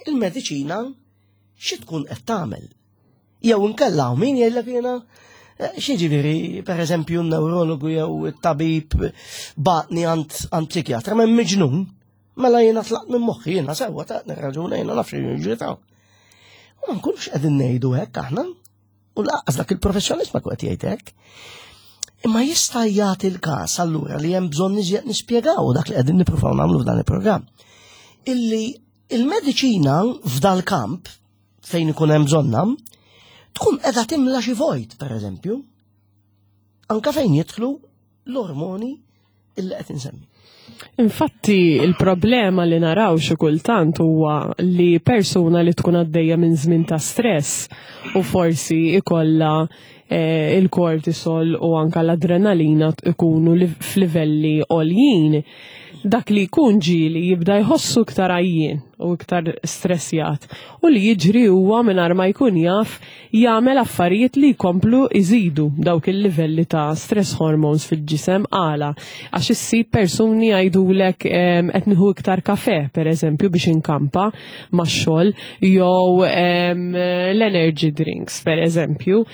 il-mediċina xi tkun qed tagħmel. Jew inkella hawn min jgħidlek jiena eh, xi per eżempju n-neurologu jew it-tabib batni għand psikjatra ma miġnun, mela jiena tlaqt minn moħħi jiena sewwa ta' nirraġuna jiena naf xi jiġri ta' U ma nkunux qegħdin ngħidu hekk aħna. U laqqas dak il-professjonist ma qed jgħid hekk. Imma jista' jagħti l-każ allura li hemm bżonn iżjed nispjegaw dak li qegħdin nippruvaw nagħmlu f'dan il-programm. Illi il-mediċina f'dal-kamp fejn ikun hemm bżonna tkun qiegħda timla xi vojt, pereżempju, anka fejn jidħlu l-ormoni illi qed insemmi. Infatti, il-problema li naraw xi kultant huwa li persuna li tkun għaddejja minn żmien ta' stress u forsi ikolla eh, il-kortisol u anka l-adrenalina ikunu f'livelli għoljin, dak li jkun ġieli jibda jħossu iktar għajjien u iktar stressjat u li jiġri huwa mingħajr ma jkun jaf jagħmel affarijiet li jkomplu jżidu dawk il-livelli ta' stress hormones fil-ġisem għala għax issib persuni jgħidulek qed nieħu iktar kafe pereżempju biex inkampa max-xogħol jew l-energy drinks pereżempju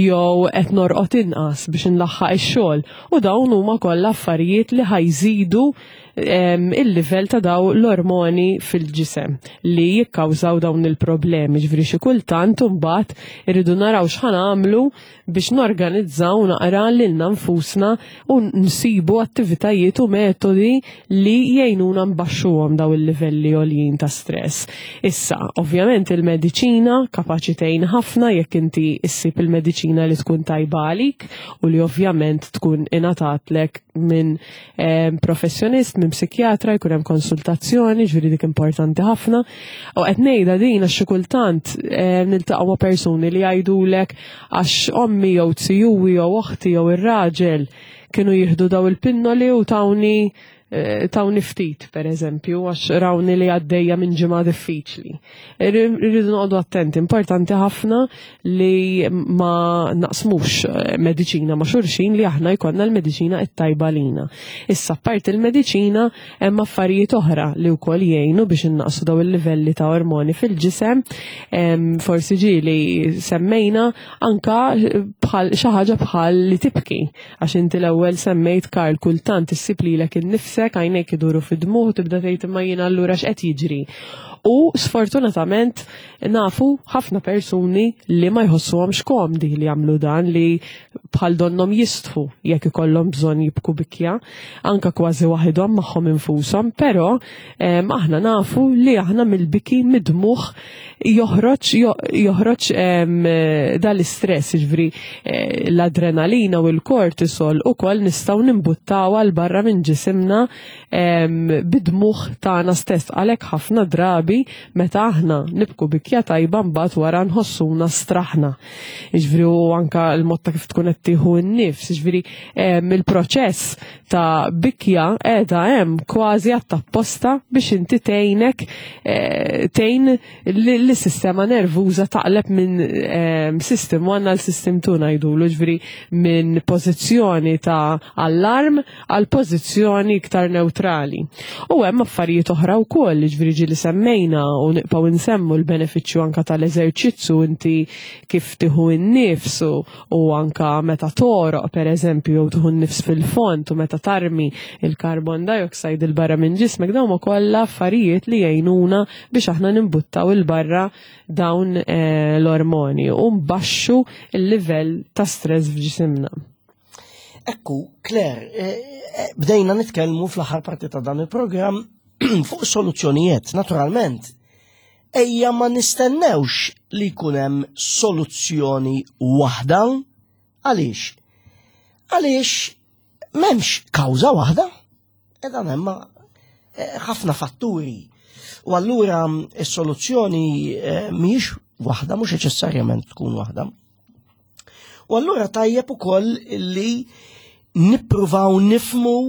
jew qed norqod inqas biex inlaħħaq ix-xogħol u dawn huma kollha affarijiet li ħajżidu il-livell ta' daw l-ormoni fil-ġisem li jikkawżaw dawn il-problemi. Ġifieri xi kultant imbagħad irridu naraw x'ħan għamlu biex norganizzaw naqra lilna nfusna u nsibu attivitajiet u metodi li jgħinuna nbaxxuhom daw il-livelli għoljin ta' stress. Issa, ovvjament il-mediċina kapaċi tgħin ħafna jekk inti issib il-mediċina li tkun tajba għalik u li ovvjament tkun ingħatatlek minn eh, professjonist, minn psikjatra, jkun hemm konsultazzjoni, ġifieri dik importanti ħafna. U qed ngħidha din għax xi kultant eh, niltaqgħu ma' persuni li jgħidulek għax ommi jew zijuwi jew oħti jew ir-raġel kienu jieħdu daw il-pinnoli u tawni Eh, tawni ftit, per eżempju, għax rawni li għaddejja minn ġimgħa diffiċli. Irridu noqogħdu attenti, importanti ħafna li ma naqsmux eh, mediċina ma' xulxin li aħna jkollna l-mediċina it-tajba lina. Issa apparti il-mediċina hemm affarijiet oħra li wkoll jgħinu biex innaqsu daw il-livelli ta' ormoni fil-ġisem, forsi ġieli semmejna anka bħal xi ħaġa bħal li tibki. Għax inti l-ewwel semmejt Karl kultant issib lilek innifsek għajnejk iduru fid-dmugħ u tibda tgħid imma jien allura x'qed jiġri. U sfortunatament nafu ħafna persuni li ma jħossuhomx komdi li jagħmlu dan li bħal donnom jistħu jekk ikollhom bżonn jibku bikja, anka kważi waħidhom magħhom infushom, però aħna nafu li aħna mill-biki mid-dmugħ joħroġ joħroġ dal-istress, jiġifieri eh, l-adrenalina u l-kortisol ukoll nistgħu nimbuttaw għal barra minn ġisimna bid-dmugħ tagħna stess. Għalhekk ħafna drabi meta aħna nibku bikja tajba mbagħad wara nħossuna straħna. Jiġifieri u anka l-mod ta' kif tkun qed tieħu n-nifs, jiġifieri il-proċess ta' bikja qiegħda hemm kważi għat-tapposta biex inti tgħinek eh, tgħin lis-sistema nervuża taqleb minn system 1 għal system 2 ngħidulu, ġifieri minn pożizzjoni ta' allarm għal pożizzjoni iktar neutrali. U hemm affarijiet oħra wkoll, ġifieri ġieli semmejna u nibqgħu nsemmu l-benefiċċju anka tal-eżerċizzju inti kif tieħu n-nifs u anka meta toroq pereżempju jew tieħu n-nifs fil-fond u meta tarmi il-carbon dioxide il barra minn ġismek dawn huma kollha affarijiet li jgħinuna biex aħna nimbuttaw il barra dawn eh, l-ormoni u nbaxxu il-livell ta' stress f'ġisimna. Ekku, Claire, eh, eh, bdejna nitkellmu fl-aħħar parti ta' dan il-programm fuq soluzzjonijiet, naturalment. Ejja ma nistennewx li jkun hemm soluzzjoni waħda. Għaliex? Għaliex m'hemmx kawża waħda. Edha hemm eh, ħafna fatturi. U allura s-soluzzjoni mhijiex waħda, mhux neċessarjament tkun waħda. U allura tajjeb ukoll li nippruvaw nifmu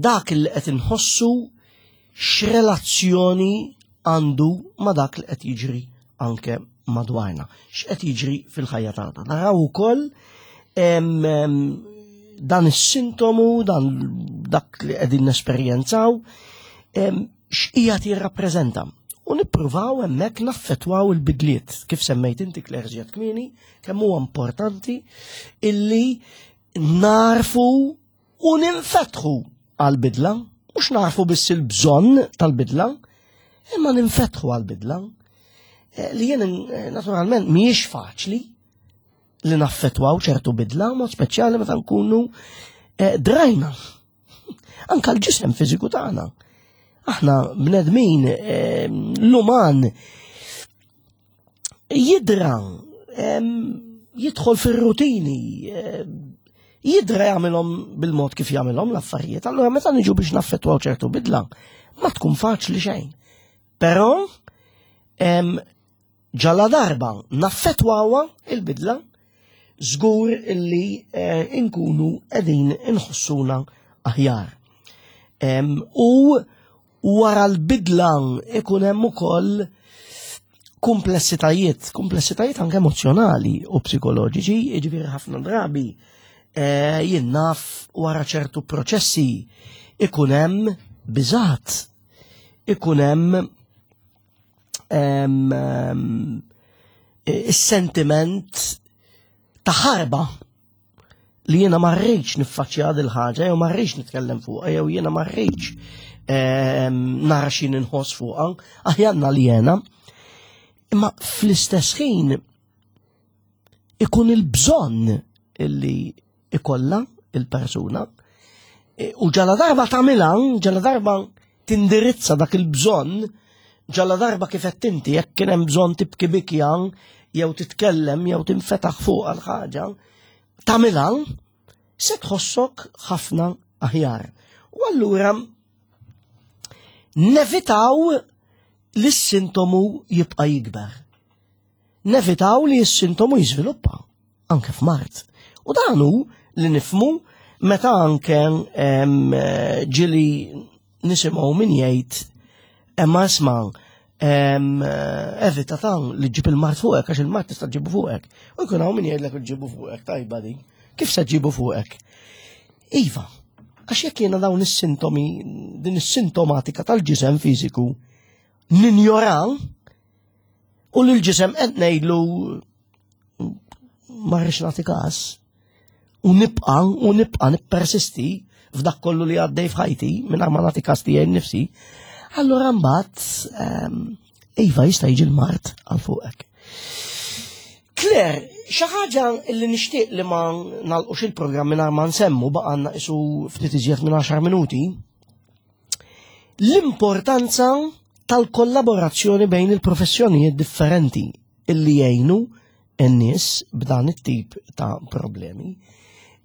dak li qed inħossu x'relazzjoni għandu ma dak li qed jiġri anke madwarna, x'qed jiġri fil-ħajja tagħna. Naraw ukoll dan is-sintomu, dan dak li qegħdin nesperjenzaw, x'qiegħed jirrappreżenta. U nippruvaw hemmhekk naffettwaw il-bidliet, kif semmejt inti Claire żjed kmieni, kemm huwa importanti illi narfu u ninfetħu għal-bidla, mhux narfu biss il-bżonn tal-bidla, imma ninfetħu għal-bidla. Eh, li jien eh, naturalment mhijiex faċli li naffettwaw ċertu bidla, mod speċjali meta nkunu eh, drajna. Anka l-ġisem fiżiku tagħna. Aħna bnedmin l-uman jidra jidħol fir-rutini, jidra jagħmilhom bil-mod kif jagħmilhom l-affarijiet. Allura meta niġu biex naffettwaw ċertu bidla, ma tkun faċli xejn. Però ġala darba naffettwawha il-bidla, żgur illi eh, inkunu qegħdin inħossuna aħjar. U wara l-bidla ikun hemm ukoll komplessitajiet, komplessitajiet anke emozjonali u psikoloġiċi, jiġifieri ħafna drabi eh, jien naf wara ċertu proċessi ikun hemm biżat, ikun hemm is-sentiment ta' ħarba li jiena ma rridx niffaċċja dil ħaġa jew ma rridx nitkellem fuqha jew jiena ma rridx nara xi inħoss fuqha, aħjanna li jiena. Imma fl-istess ħin ikun il-bżonn illi ikollha il-persuna e, u ġala darba tagħmilha, ġala darba tindirizza dak il-bżonn, ġala darba kif qed inti jekk kien hemm bżonn tibki bikja jew titkellem jew tinfetaħ fuq għal ħaġa, tagħmilha se tħossok ħafna aħjar. U allura nevitaw li s-sintomu jibqa' jikber. Nevitaw li s-sintomu jiżviluppa anke f'mart. U dan hu li nifmu meta anke ġili nisimgħu min jgħid imma isma' evita tan li ġib il-mart fuqek għax il-mart tista' ġibu fuqek. U jkun hawn min jgħidlek ġibu fuqek tajba din. Kif se ġibu fuqek? Iva, għax jekk jiena dawn is-sintomi, din is-sintomatika tal-ġisem fiżiku ninjora u l-ġisem qed ngħidlu ma rridx nagħti każ u nibqa' u nibqa' nippersisti f'dak kollu li għaddej f'ħajti mingħajr ma nagħti każ tiegħi nnifsi, allura mbagħad ehm, iva jista' jiġi l-mart għal fuqek. Claire, xi ħaġa li nixtieq li ma nagħlqux il-programm mingħajr ma nsemmu baqgħanna isu ftit iżjed minn 10 minuti. L-importanza tal-kollaborazzjoni bejn il-professjonijiet differenti illi jgħinu n-nies b'dan it-tip ta' problemi.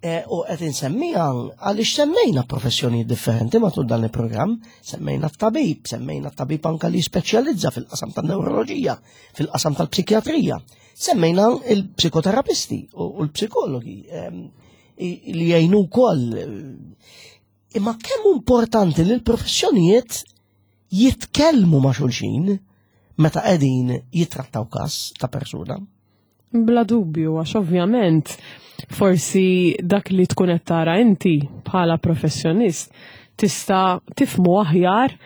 E, u qed insemmiha għaliex semmejna professjonijiet differenti matul dan il-programm, semmejna t-tabib, semmejna t-tabib anka li speċjalizza fil-qasam tan-neuroloġija, fil-qasam tal-psikjatrija, semmejna il-psikoterapisti u l-psikologi li jgħinu wkoll. Imma kemm importanti li l-professjonijiet jitkellmu ma' xulxin meta qegħdin jitrattaw każ ta' persuna. Bla dubju, għax ovvjament forsi dak li tkun qed tara inti bħala professjonist tista' tifmu aħjar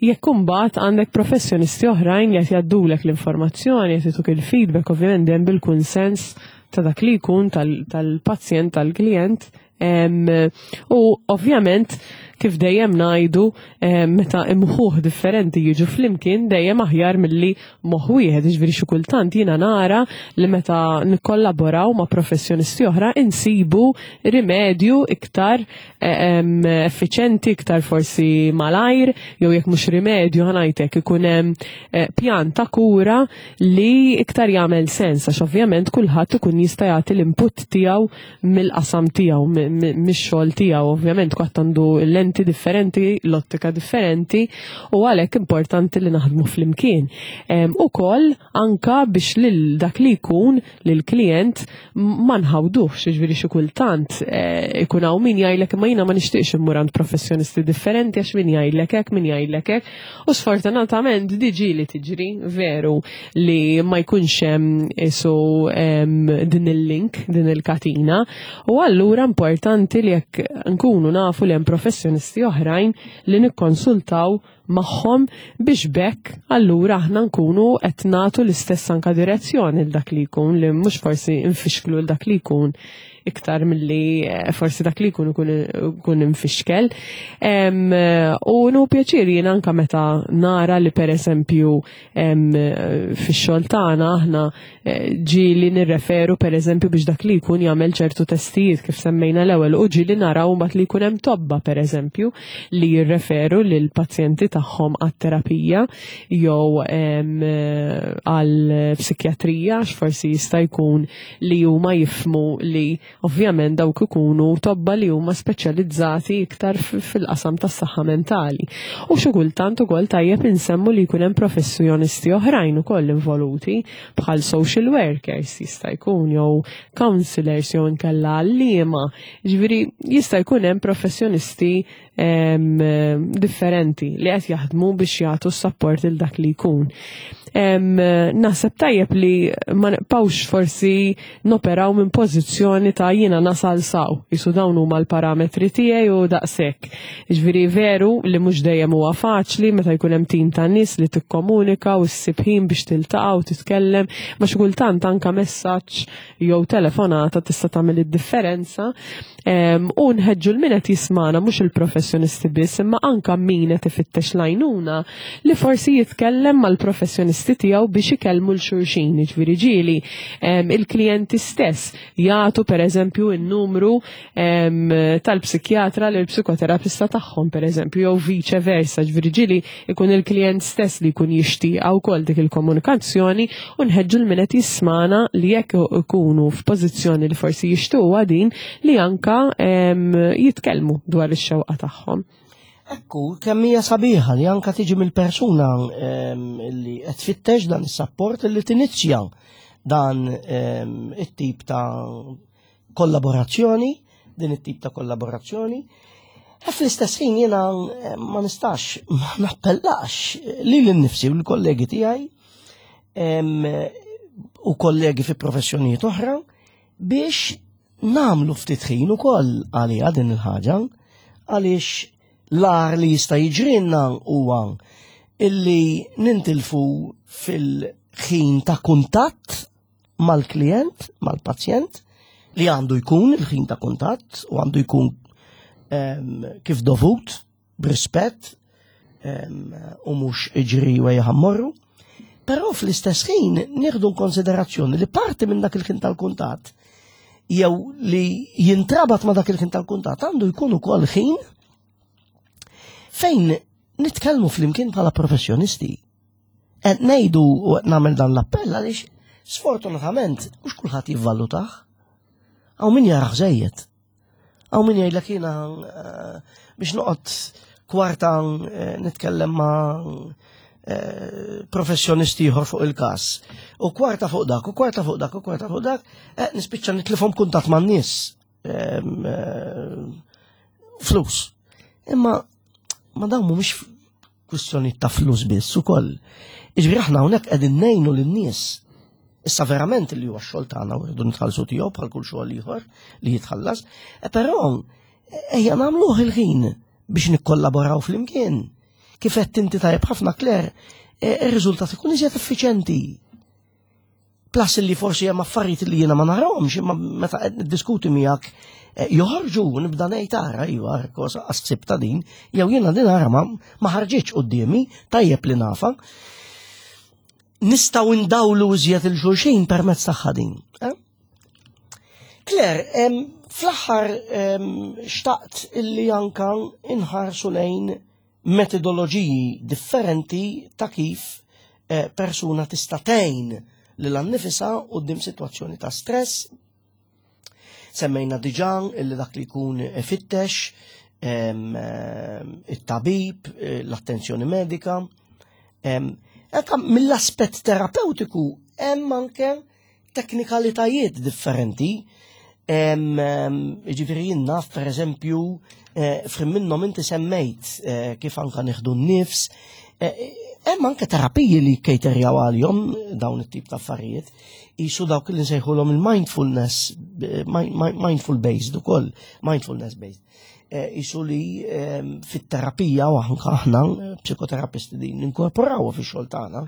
jekk imbagħad għandek professjonisti oħrajn li qed jgħaddulek l-informazzjoni, qed jagħtuk il-feedback ovvjament dejjem bil-kunsens ta' dak li jkun tal-pazjent, tal-klient. U ovvjament kif dejjem ngħidu meta imħuħ differenti jiġu flimkien dejjem aħjar milli moħħ wieħed, jiġifieri xi kultant jiena nara li meta nikkollaboraw ma' professjonisti oħra insibu rimedju iktar effiċenti, iktar forsi malajr, jew jekk mhux rimedju ħanajtek ikun hemm eh, pjan ta' kura li iktar jagħmel sens għax ovvjament kulħadd ikun jista' jagħti l-input tiegħu mill-qasam tiegħu, mix-xogħol tiegħu, ovvjament kwatt għandu lenti differenti, l-ottika differenti u għalhekk importanti li naħdmu flimkien. Ukoll anka biex lil dak li jkun lil klient ma nħawduhx, jiġifieri xi kultant eh, ikun hawn min jgħidlek imma jiena ma nixtieqx immur għand professjonisti differenti għax min jgħidlek hekk, min jgħidlek hekk. U sfortunatament diġi li tiġri, veru, li ma jkunx hemm isu din il-link, din il-katina. U allura importanti li jekk nkunu nafu li hemm professjonisti oħrajn li nikkonsultaw magħhom biex bekk allura aħna nkunu qed nagħtu l-istess anka direzzjoni l dak li jkun li mhux forsi nfixklu l dak li jkun iktar milli eh, forsi dak li jkun ikun infixkel. U nu pjaċir jien anka meta nara li pereżempju fix-xogħol tagħna aħna eh, ġieli nirreferu pereżempju biex dak li jkun jagħmel ċertu testijiet kif semmejna l-ewwel u ġieli naraw mbagħad li jkun hemm tobba pereżempju li jirreferu lil pazjenti tagħhom għat-terapija jew għal psikjatrija għax forsi jista' jkun li huma jifmu li ovvjament dawk ikunu tobba li huma speċjalizzati iktar fil-qasam tas-saħħa mentali. U xi kultant ukoll tajjeb insemmu li jkun hemm professjonisti oħrajn ukoll involuti bħal social workers jista' jkun jew counselors jew inkella għalliema. Ġifieri jista' jkun hemm professjonisti differenti li qed jaħdmu biex jagħtu s-sapport il dak li jkun. Naħseb tajjeb li ma nibqgħux forsi noperaw minn pożizzjoni ta' jiena nasal saw, jisu dawn huma l-parametri tiegħi u daqshekk. Ġifieri veru li mhux dejjem huwa faċli meta jkun hemm tim ta' nies li tikkomunika u ssib ħin biex tiltaqa' u titkellem, ma xi kultant anka messaġġ jew telefonata tista' tagħmel id-differenza. U nħeġġu l min qed jismana mhux il-professjonisti biss imma anka min qed ifittex l-għajnuna li forsi jitkellem mal-professjonisti tiegħu biex ikellmu l xulxin, jiġifieri ġieli il-klijenti stess jagħtu pereżempju n-numru tal-psikjatra lil psikoterapista tagħhom pereżempju jew viċe versa, ġifieri ġieli ikun il-klijent stess li jkun jixtieqha wkoll dik il-komunikazzjoni u nħeġġu l min qed jismana li jekk ikunu f'pożizzjoni li forsi jixtuha din li anka jitkellmu dwar ix-xewqa tagħhom. Ekku, kemm hija sabiħa li anka tiġi mill-persuna li qed tfittex dan is-sapport li tinizja dan it-tip ta' kollaborazzjoni, din it-tip ta' kollaborazzjoni. E fl-istess ħin jiena eh, ma nistax ma nappellax li l-nifsi u l-kollegi tiegħi u kollegi fi professjonijiet oħra biex namlu ftit ħin ukoll għaliha din il-ħaġa għaliex l-ar li jista' jiġrilna huwa illi nintilfu fil-ħin ta' kuntatt mal-klient, mal-pazjent, li għandu jkun il-ħin ta' kuntatt u għandu jkun ehm, kif dovut, b'rispett ehm, u mhux iġri u ħammorru. Però fl-istess ħin nieħdu konsiderazzjoni li parti minn dak il-ħin tal-kuntatt jew li jintrabat ma dak il-ħin tal-kuntatt għandu jkun ukoll ħin fejn nitkellmu flimkien bħala professjonisti. Qed ngħidu u qed nagħmel dan l-appell għaliex sfortunatament mhux kulħadd jivvalutah. Hawn min jarah żejjed. Hawn min jgħidlek jiena eh, biex noqgħod kwarta eh, nitkellem ma' eh, professjonisti ieħor fuq il-każ. U kwarta fuq dak, u kwarta fuq dak, u kwarta fuq dak, nispiċċa nitlifhom kuntatt man-nies. Flus. Imma ma dawn mhumiex kwistjoni ta' flus biss ukoll. Iġifieri aħna hawnhekk qegħdin ngħinu lin-nies. Issa verament li huwa x-xogħol tagħna u rridu nitħallsu tiegħu bħal kull xogħol ieħor li jitħallas, e però ejja nagħmluh il-ħin biex nikkollaboraw flimkien. Kif qed inti tajjeb ħafna Claire, e, ir-riżultat ikun iżjed effiċenti. Plus li forsi hemm affarijiet li jiena ma narahomx, imma meta qed niddiskuti miegħek eh, joħorġu nibda ngħid ara iva kosa ħsib ta' din, jew jiena din ara ma, ma ħarġitx quddiemi, tajjeb li nafa. Nistgħu ndawlu iżjed il-xulxin permezz tagħha din. Eh? Claire, fl-aħħar xtaqt illi anka inħarsu lejn metodoloġiji differenti ta' kif eh, persuna tista' tgħin lil annifisha quddiem sitwazzjoni ta' stress. Semmejna diġà illi dak li jkun ifittex it-tabib, eh, l-attenzjoni medika. Anka mill-aspett terapeutiku hemm anke teknikalitajiet differenti. Ġifieri jien naf pereżempju eh, frim minnhom inti semmejt eh, kif anka nieħdu n-nifs. Eh, hemm anke terapiji li kejterjaw għalihom dawn it-tip ta' affarijiet. Isu dawk li nsejħulhom il-mindfulness, mindful based ukoll, mindfulness based. Isu li fit-terapija u anka aħna psikoterapisti din ninkorporawha fix-xogħol tagħna,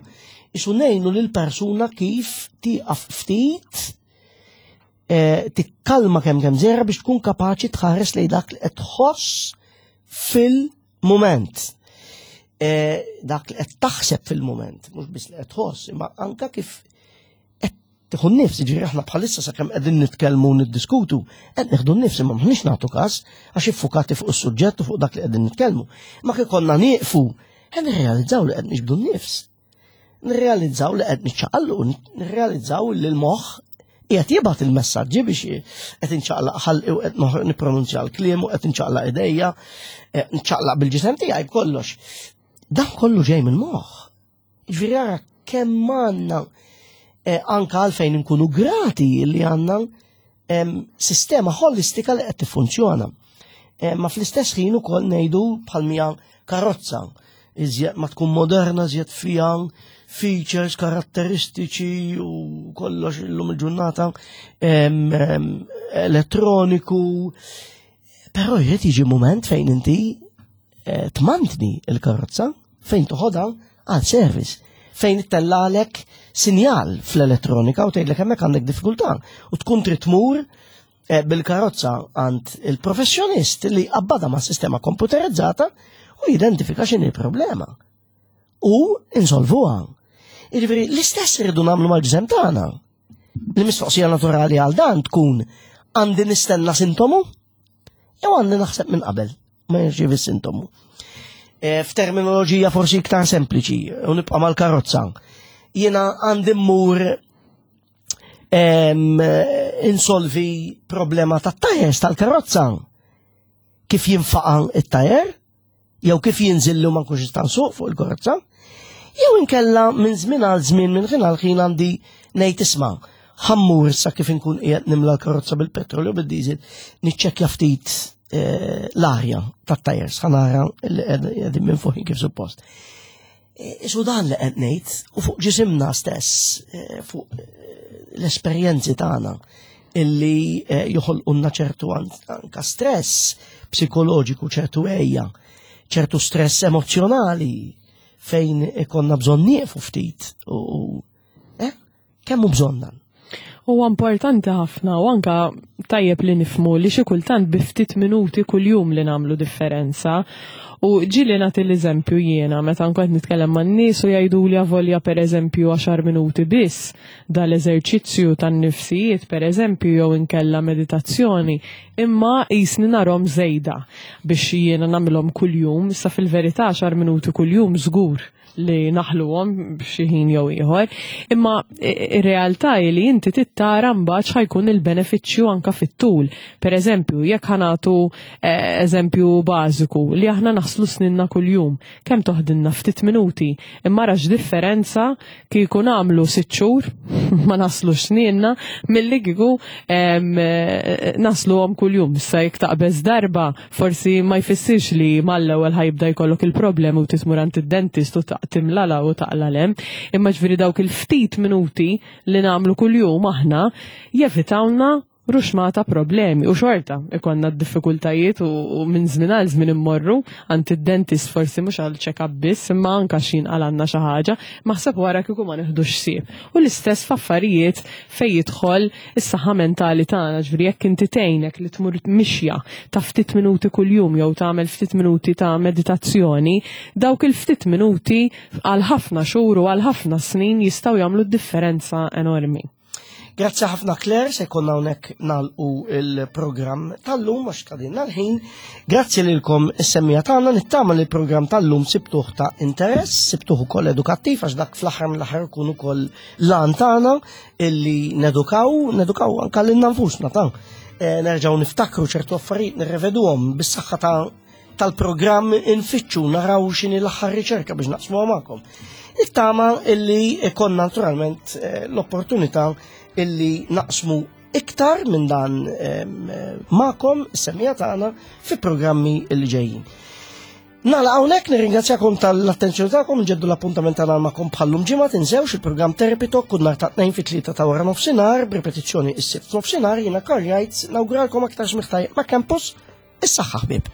isu ngħinu lil persuna kif tieqaf ftit eh, tikkalma kemm kemm żera biex tkun kapaċi tħares lejn dak li qed tħoss fil-mument. Eh, dak li qed taħseb fil-mument, mhux biss li qed tħoss, imma anka kif Tieħu n-nifs, jiġifieri aħna bħalissa sakemm qegħdin nitkellmu u niddiskutu, qed nieħdu n-nifs imma m'aħniex nagħtu każ għax iffukati fuq is-suġġett u fuq dak li qegħdin nitkellmu. Ma kif konna nieqfu, qed nirrealizzaw li qed niġbdu n-nifs. Nirrealizzaw li qed niċċaqallu, nirrealizzaw li l-moħħ qiegħed jibgħat il-messaġġi biex qed inċaqlaq ħalqi u qed nippronunzja l-kliem u qed inċaqlaq idejja, nċaqlaq bil-ġisem tiegħi b'kollox. Dan kollu ġej mill-moħħ. Ġifieri ara kemm għandna eh, anka għalfejn inkunu grati li għandna sistema holistika li qed tiffunzjona. Eh, ma fl-istess ħin ukoll ngħidu bħal mija karozza iżjed ma tkun moderna, iżjed fija features, karatteristiċi u kollox illum il-ġurnata elettroniku. Però jrid jiġi moment fejn inti eh, tmantni il-karozza fejn toħodha għal service fejn ittellalek sinjal fl-elettronika u tgħidlek hemmhekk għandek diffikultà u tkun trid tmur eh, bil-karozza għand il-professjonist li qabbadha ma' sistema komputerizzata u jidentifika x'inhi il-problema. U insolvuha. Jiġifieri l-istess irridu nagħmlu mal-ġisem tagħna. Il-mistoqsija naturali għal dan tkun għandi nistenna sintomu jew għandi naħseb minn qabel ma jirċievi sintomu. E, f'terminoloġija forsi iktar sempliċi, u nibqa' mal-karozza. Jiena għandi mmur insolvi problema tat-tajers tal-karozza. Kif jinfaqa' it-tajer? jew kif jinżillu ma nkunx nista' nsuq fuq il-karozza, jew inkella minn żmien għal żmien minn ħin għal ħin għandi ngħid isma' ħammur sa kif inkun qiegħed nimla l-karozza bil-petrol jew bid-diesel niċċekkja ftit eh, l-arja tat-tajers ħa nara li qegħdin minn fuq kif suppost. Eh, isu dan li qed ngħid u fuq ġisimna stess, eh, fuq l-esperjenzi tagħna illi joħolqulna ċertu anka stress psikoloġiku, ċertu ejja, ċertu stress emozjonali fejn ikonna bżonn nieqfu ftit u eh, kemm hu bżonn dan? Huwa importanti ħafna u anka tajjeb li nifmu li xi kultant bi ftit minuti kuljum li nagħmlu differenza. U ġieli nagħti l-eżempju jiena meta nkun qed nitkellem man-nies u jgħiduli avolja pereżempju għaxar minuti biss dal-eżerċizzju tan-nifsijiet pereżempju jew inkella meditazzjoni, imma qisni narhom żejda biex jiena nagħmilhom kuljum, issa fil-verità għaxar minuti kuljum żgur li naħluhom b'xi ħin jew ieħor, imma ir-realtà hi li inti tittara mbagħad x'ħajkun il-benefiċċju anka fit-tul. Per eżempju, jekk ħanatu eh, eżempju bażiku li aħna naħslu sninna kuljum, kemm toħdilna ftit minuti, imma rax differenza kieku nagħmlu sitt xhur ma naslux sninna milli kieku eh, nasluhom kuljum. Issa jekk taqbeż darba Forsi ma jfissirx li mal-ewwel ħajibda jkollok il-problemi u titmur għand id-dentist u timlala u taqla lem, imma ġifieri dawk il-ftit minuti li nagħmlu kuljum aħna jevitawna ruxmata problemi u xorta ikonna d-diffikultajiet u minn żmien għal żmien immorru għand id-dentist forsi mhux għal check-up biss imma anka x'in għalanna xi ħaġa, maħseb wara kieku ma neħdux ħsieb. U l-istess f'affarijiet fejn jidħol is-saħħa mentali tagħna, ġifieri jekk inti tgħinek li tmur mixja ta' ftit minuti kuljum jew tagħmel ftit minuti ta' meditazzjoni, dawk il-ftit minuti għal ħafna xhur u għal ħafna snin jistgħu jagħmlu differenza enormi. Grazzi ħafna Claire, se konna hawnhekk nagħlqu il-programm tal-lum għax kadinna l-ħin. Grazzi lilkom is-semmija tagħna nittama li l-programm tal-lum sibtuh ta' interess, sibtuh ukoll edukattiv għax dak fl-aħħar mill-aħħar ikun ukoll l-għan tagħna illi nedukaw, nedukaw anka lilna nfusna ta' eh, nerġgħu niftakru ċertu affarijiet nirreveduhom bis-saħħa ta' tal-programm infittxu naraw x'inhi l-aħħar riċerka biex naqsmuha magħkom. Nittama illi ikonna naturalment eh, l-opportunità illi naqsmu iktar minn dan eh, magħkom is-semija tagħna fi programmi illi ġejjin. Nagħlaq hawnhekk nirringrazzjakom tal-attenzjoni tagħkom, nġeddu l-appuntament tagħna magħkom bħallum ġimgħa tinsewx il-programm Therapy Talk kull nhar ta' tnejn fit-tlieta ta' wara nofsinhar b'ripetizzjoni is-sibt nofsinhar jiena Karl Jajt nawguralkom aktar smigħ tajjeb ma' Campus is-saħħa ħbieb.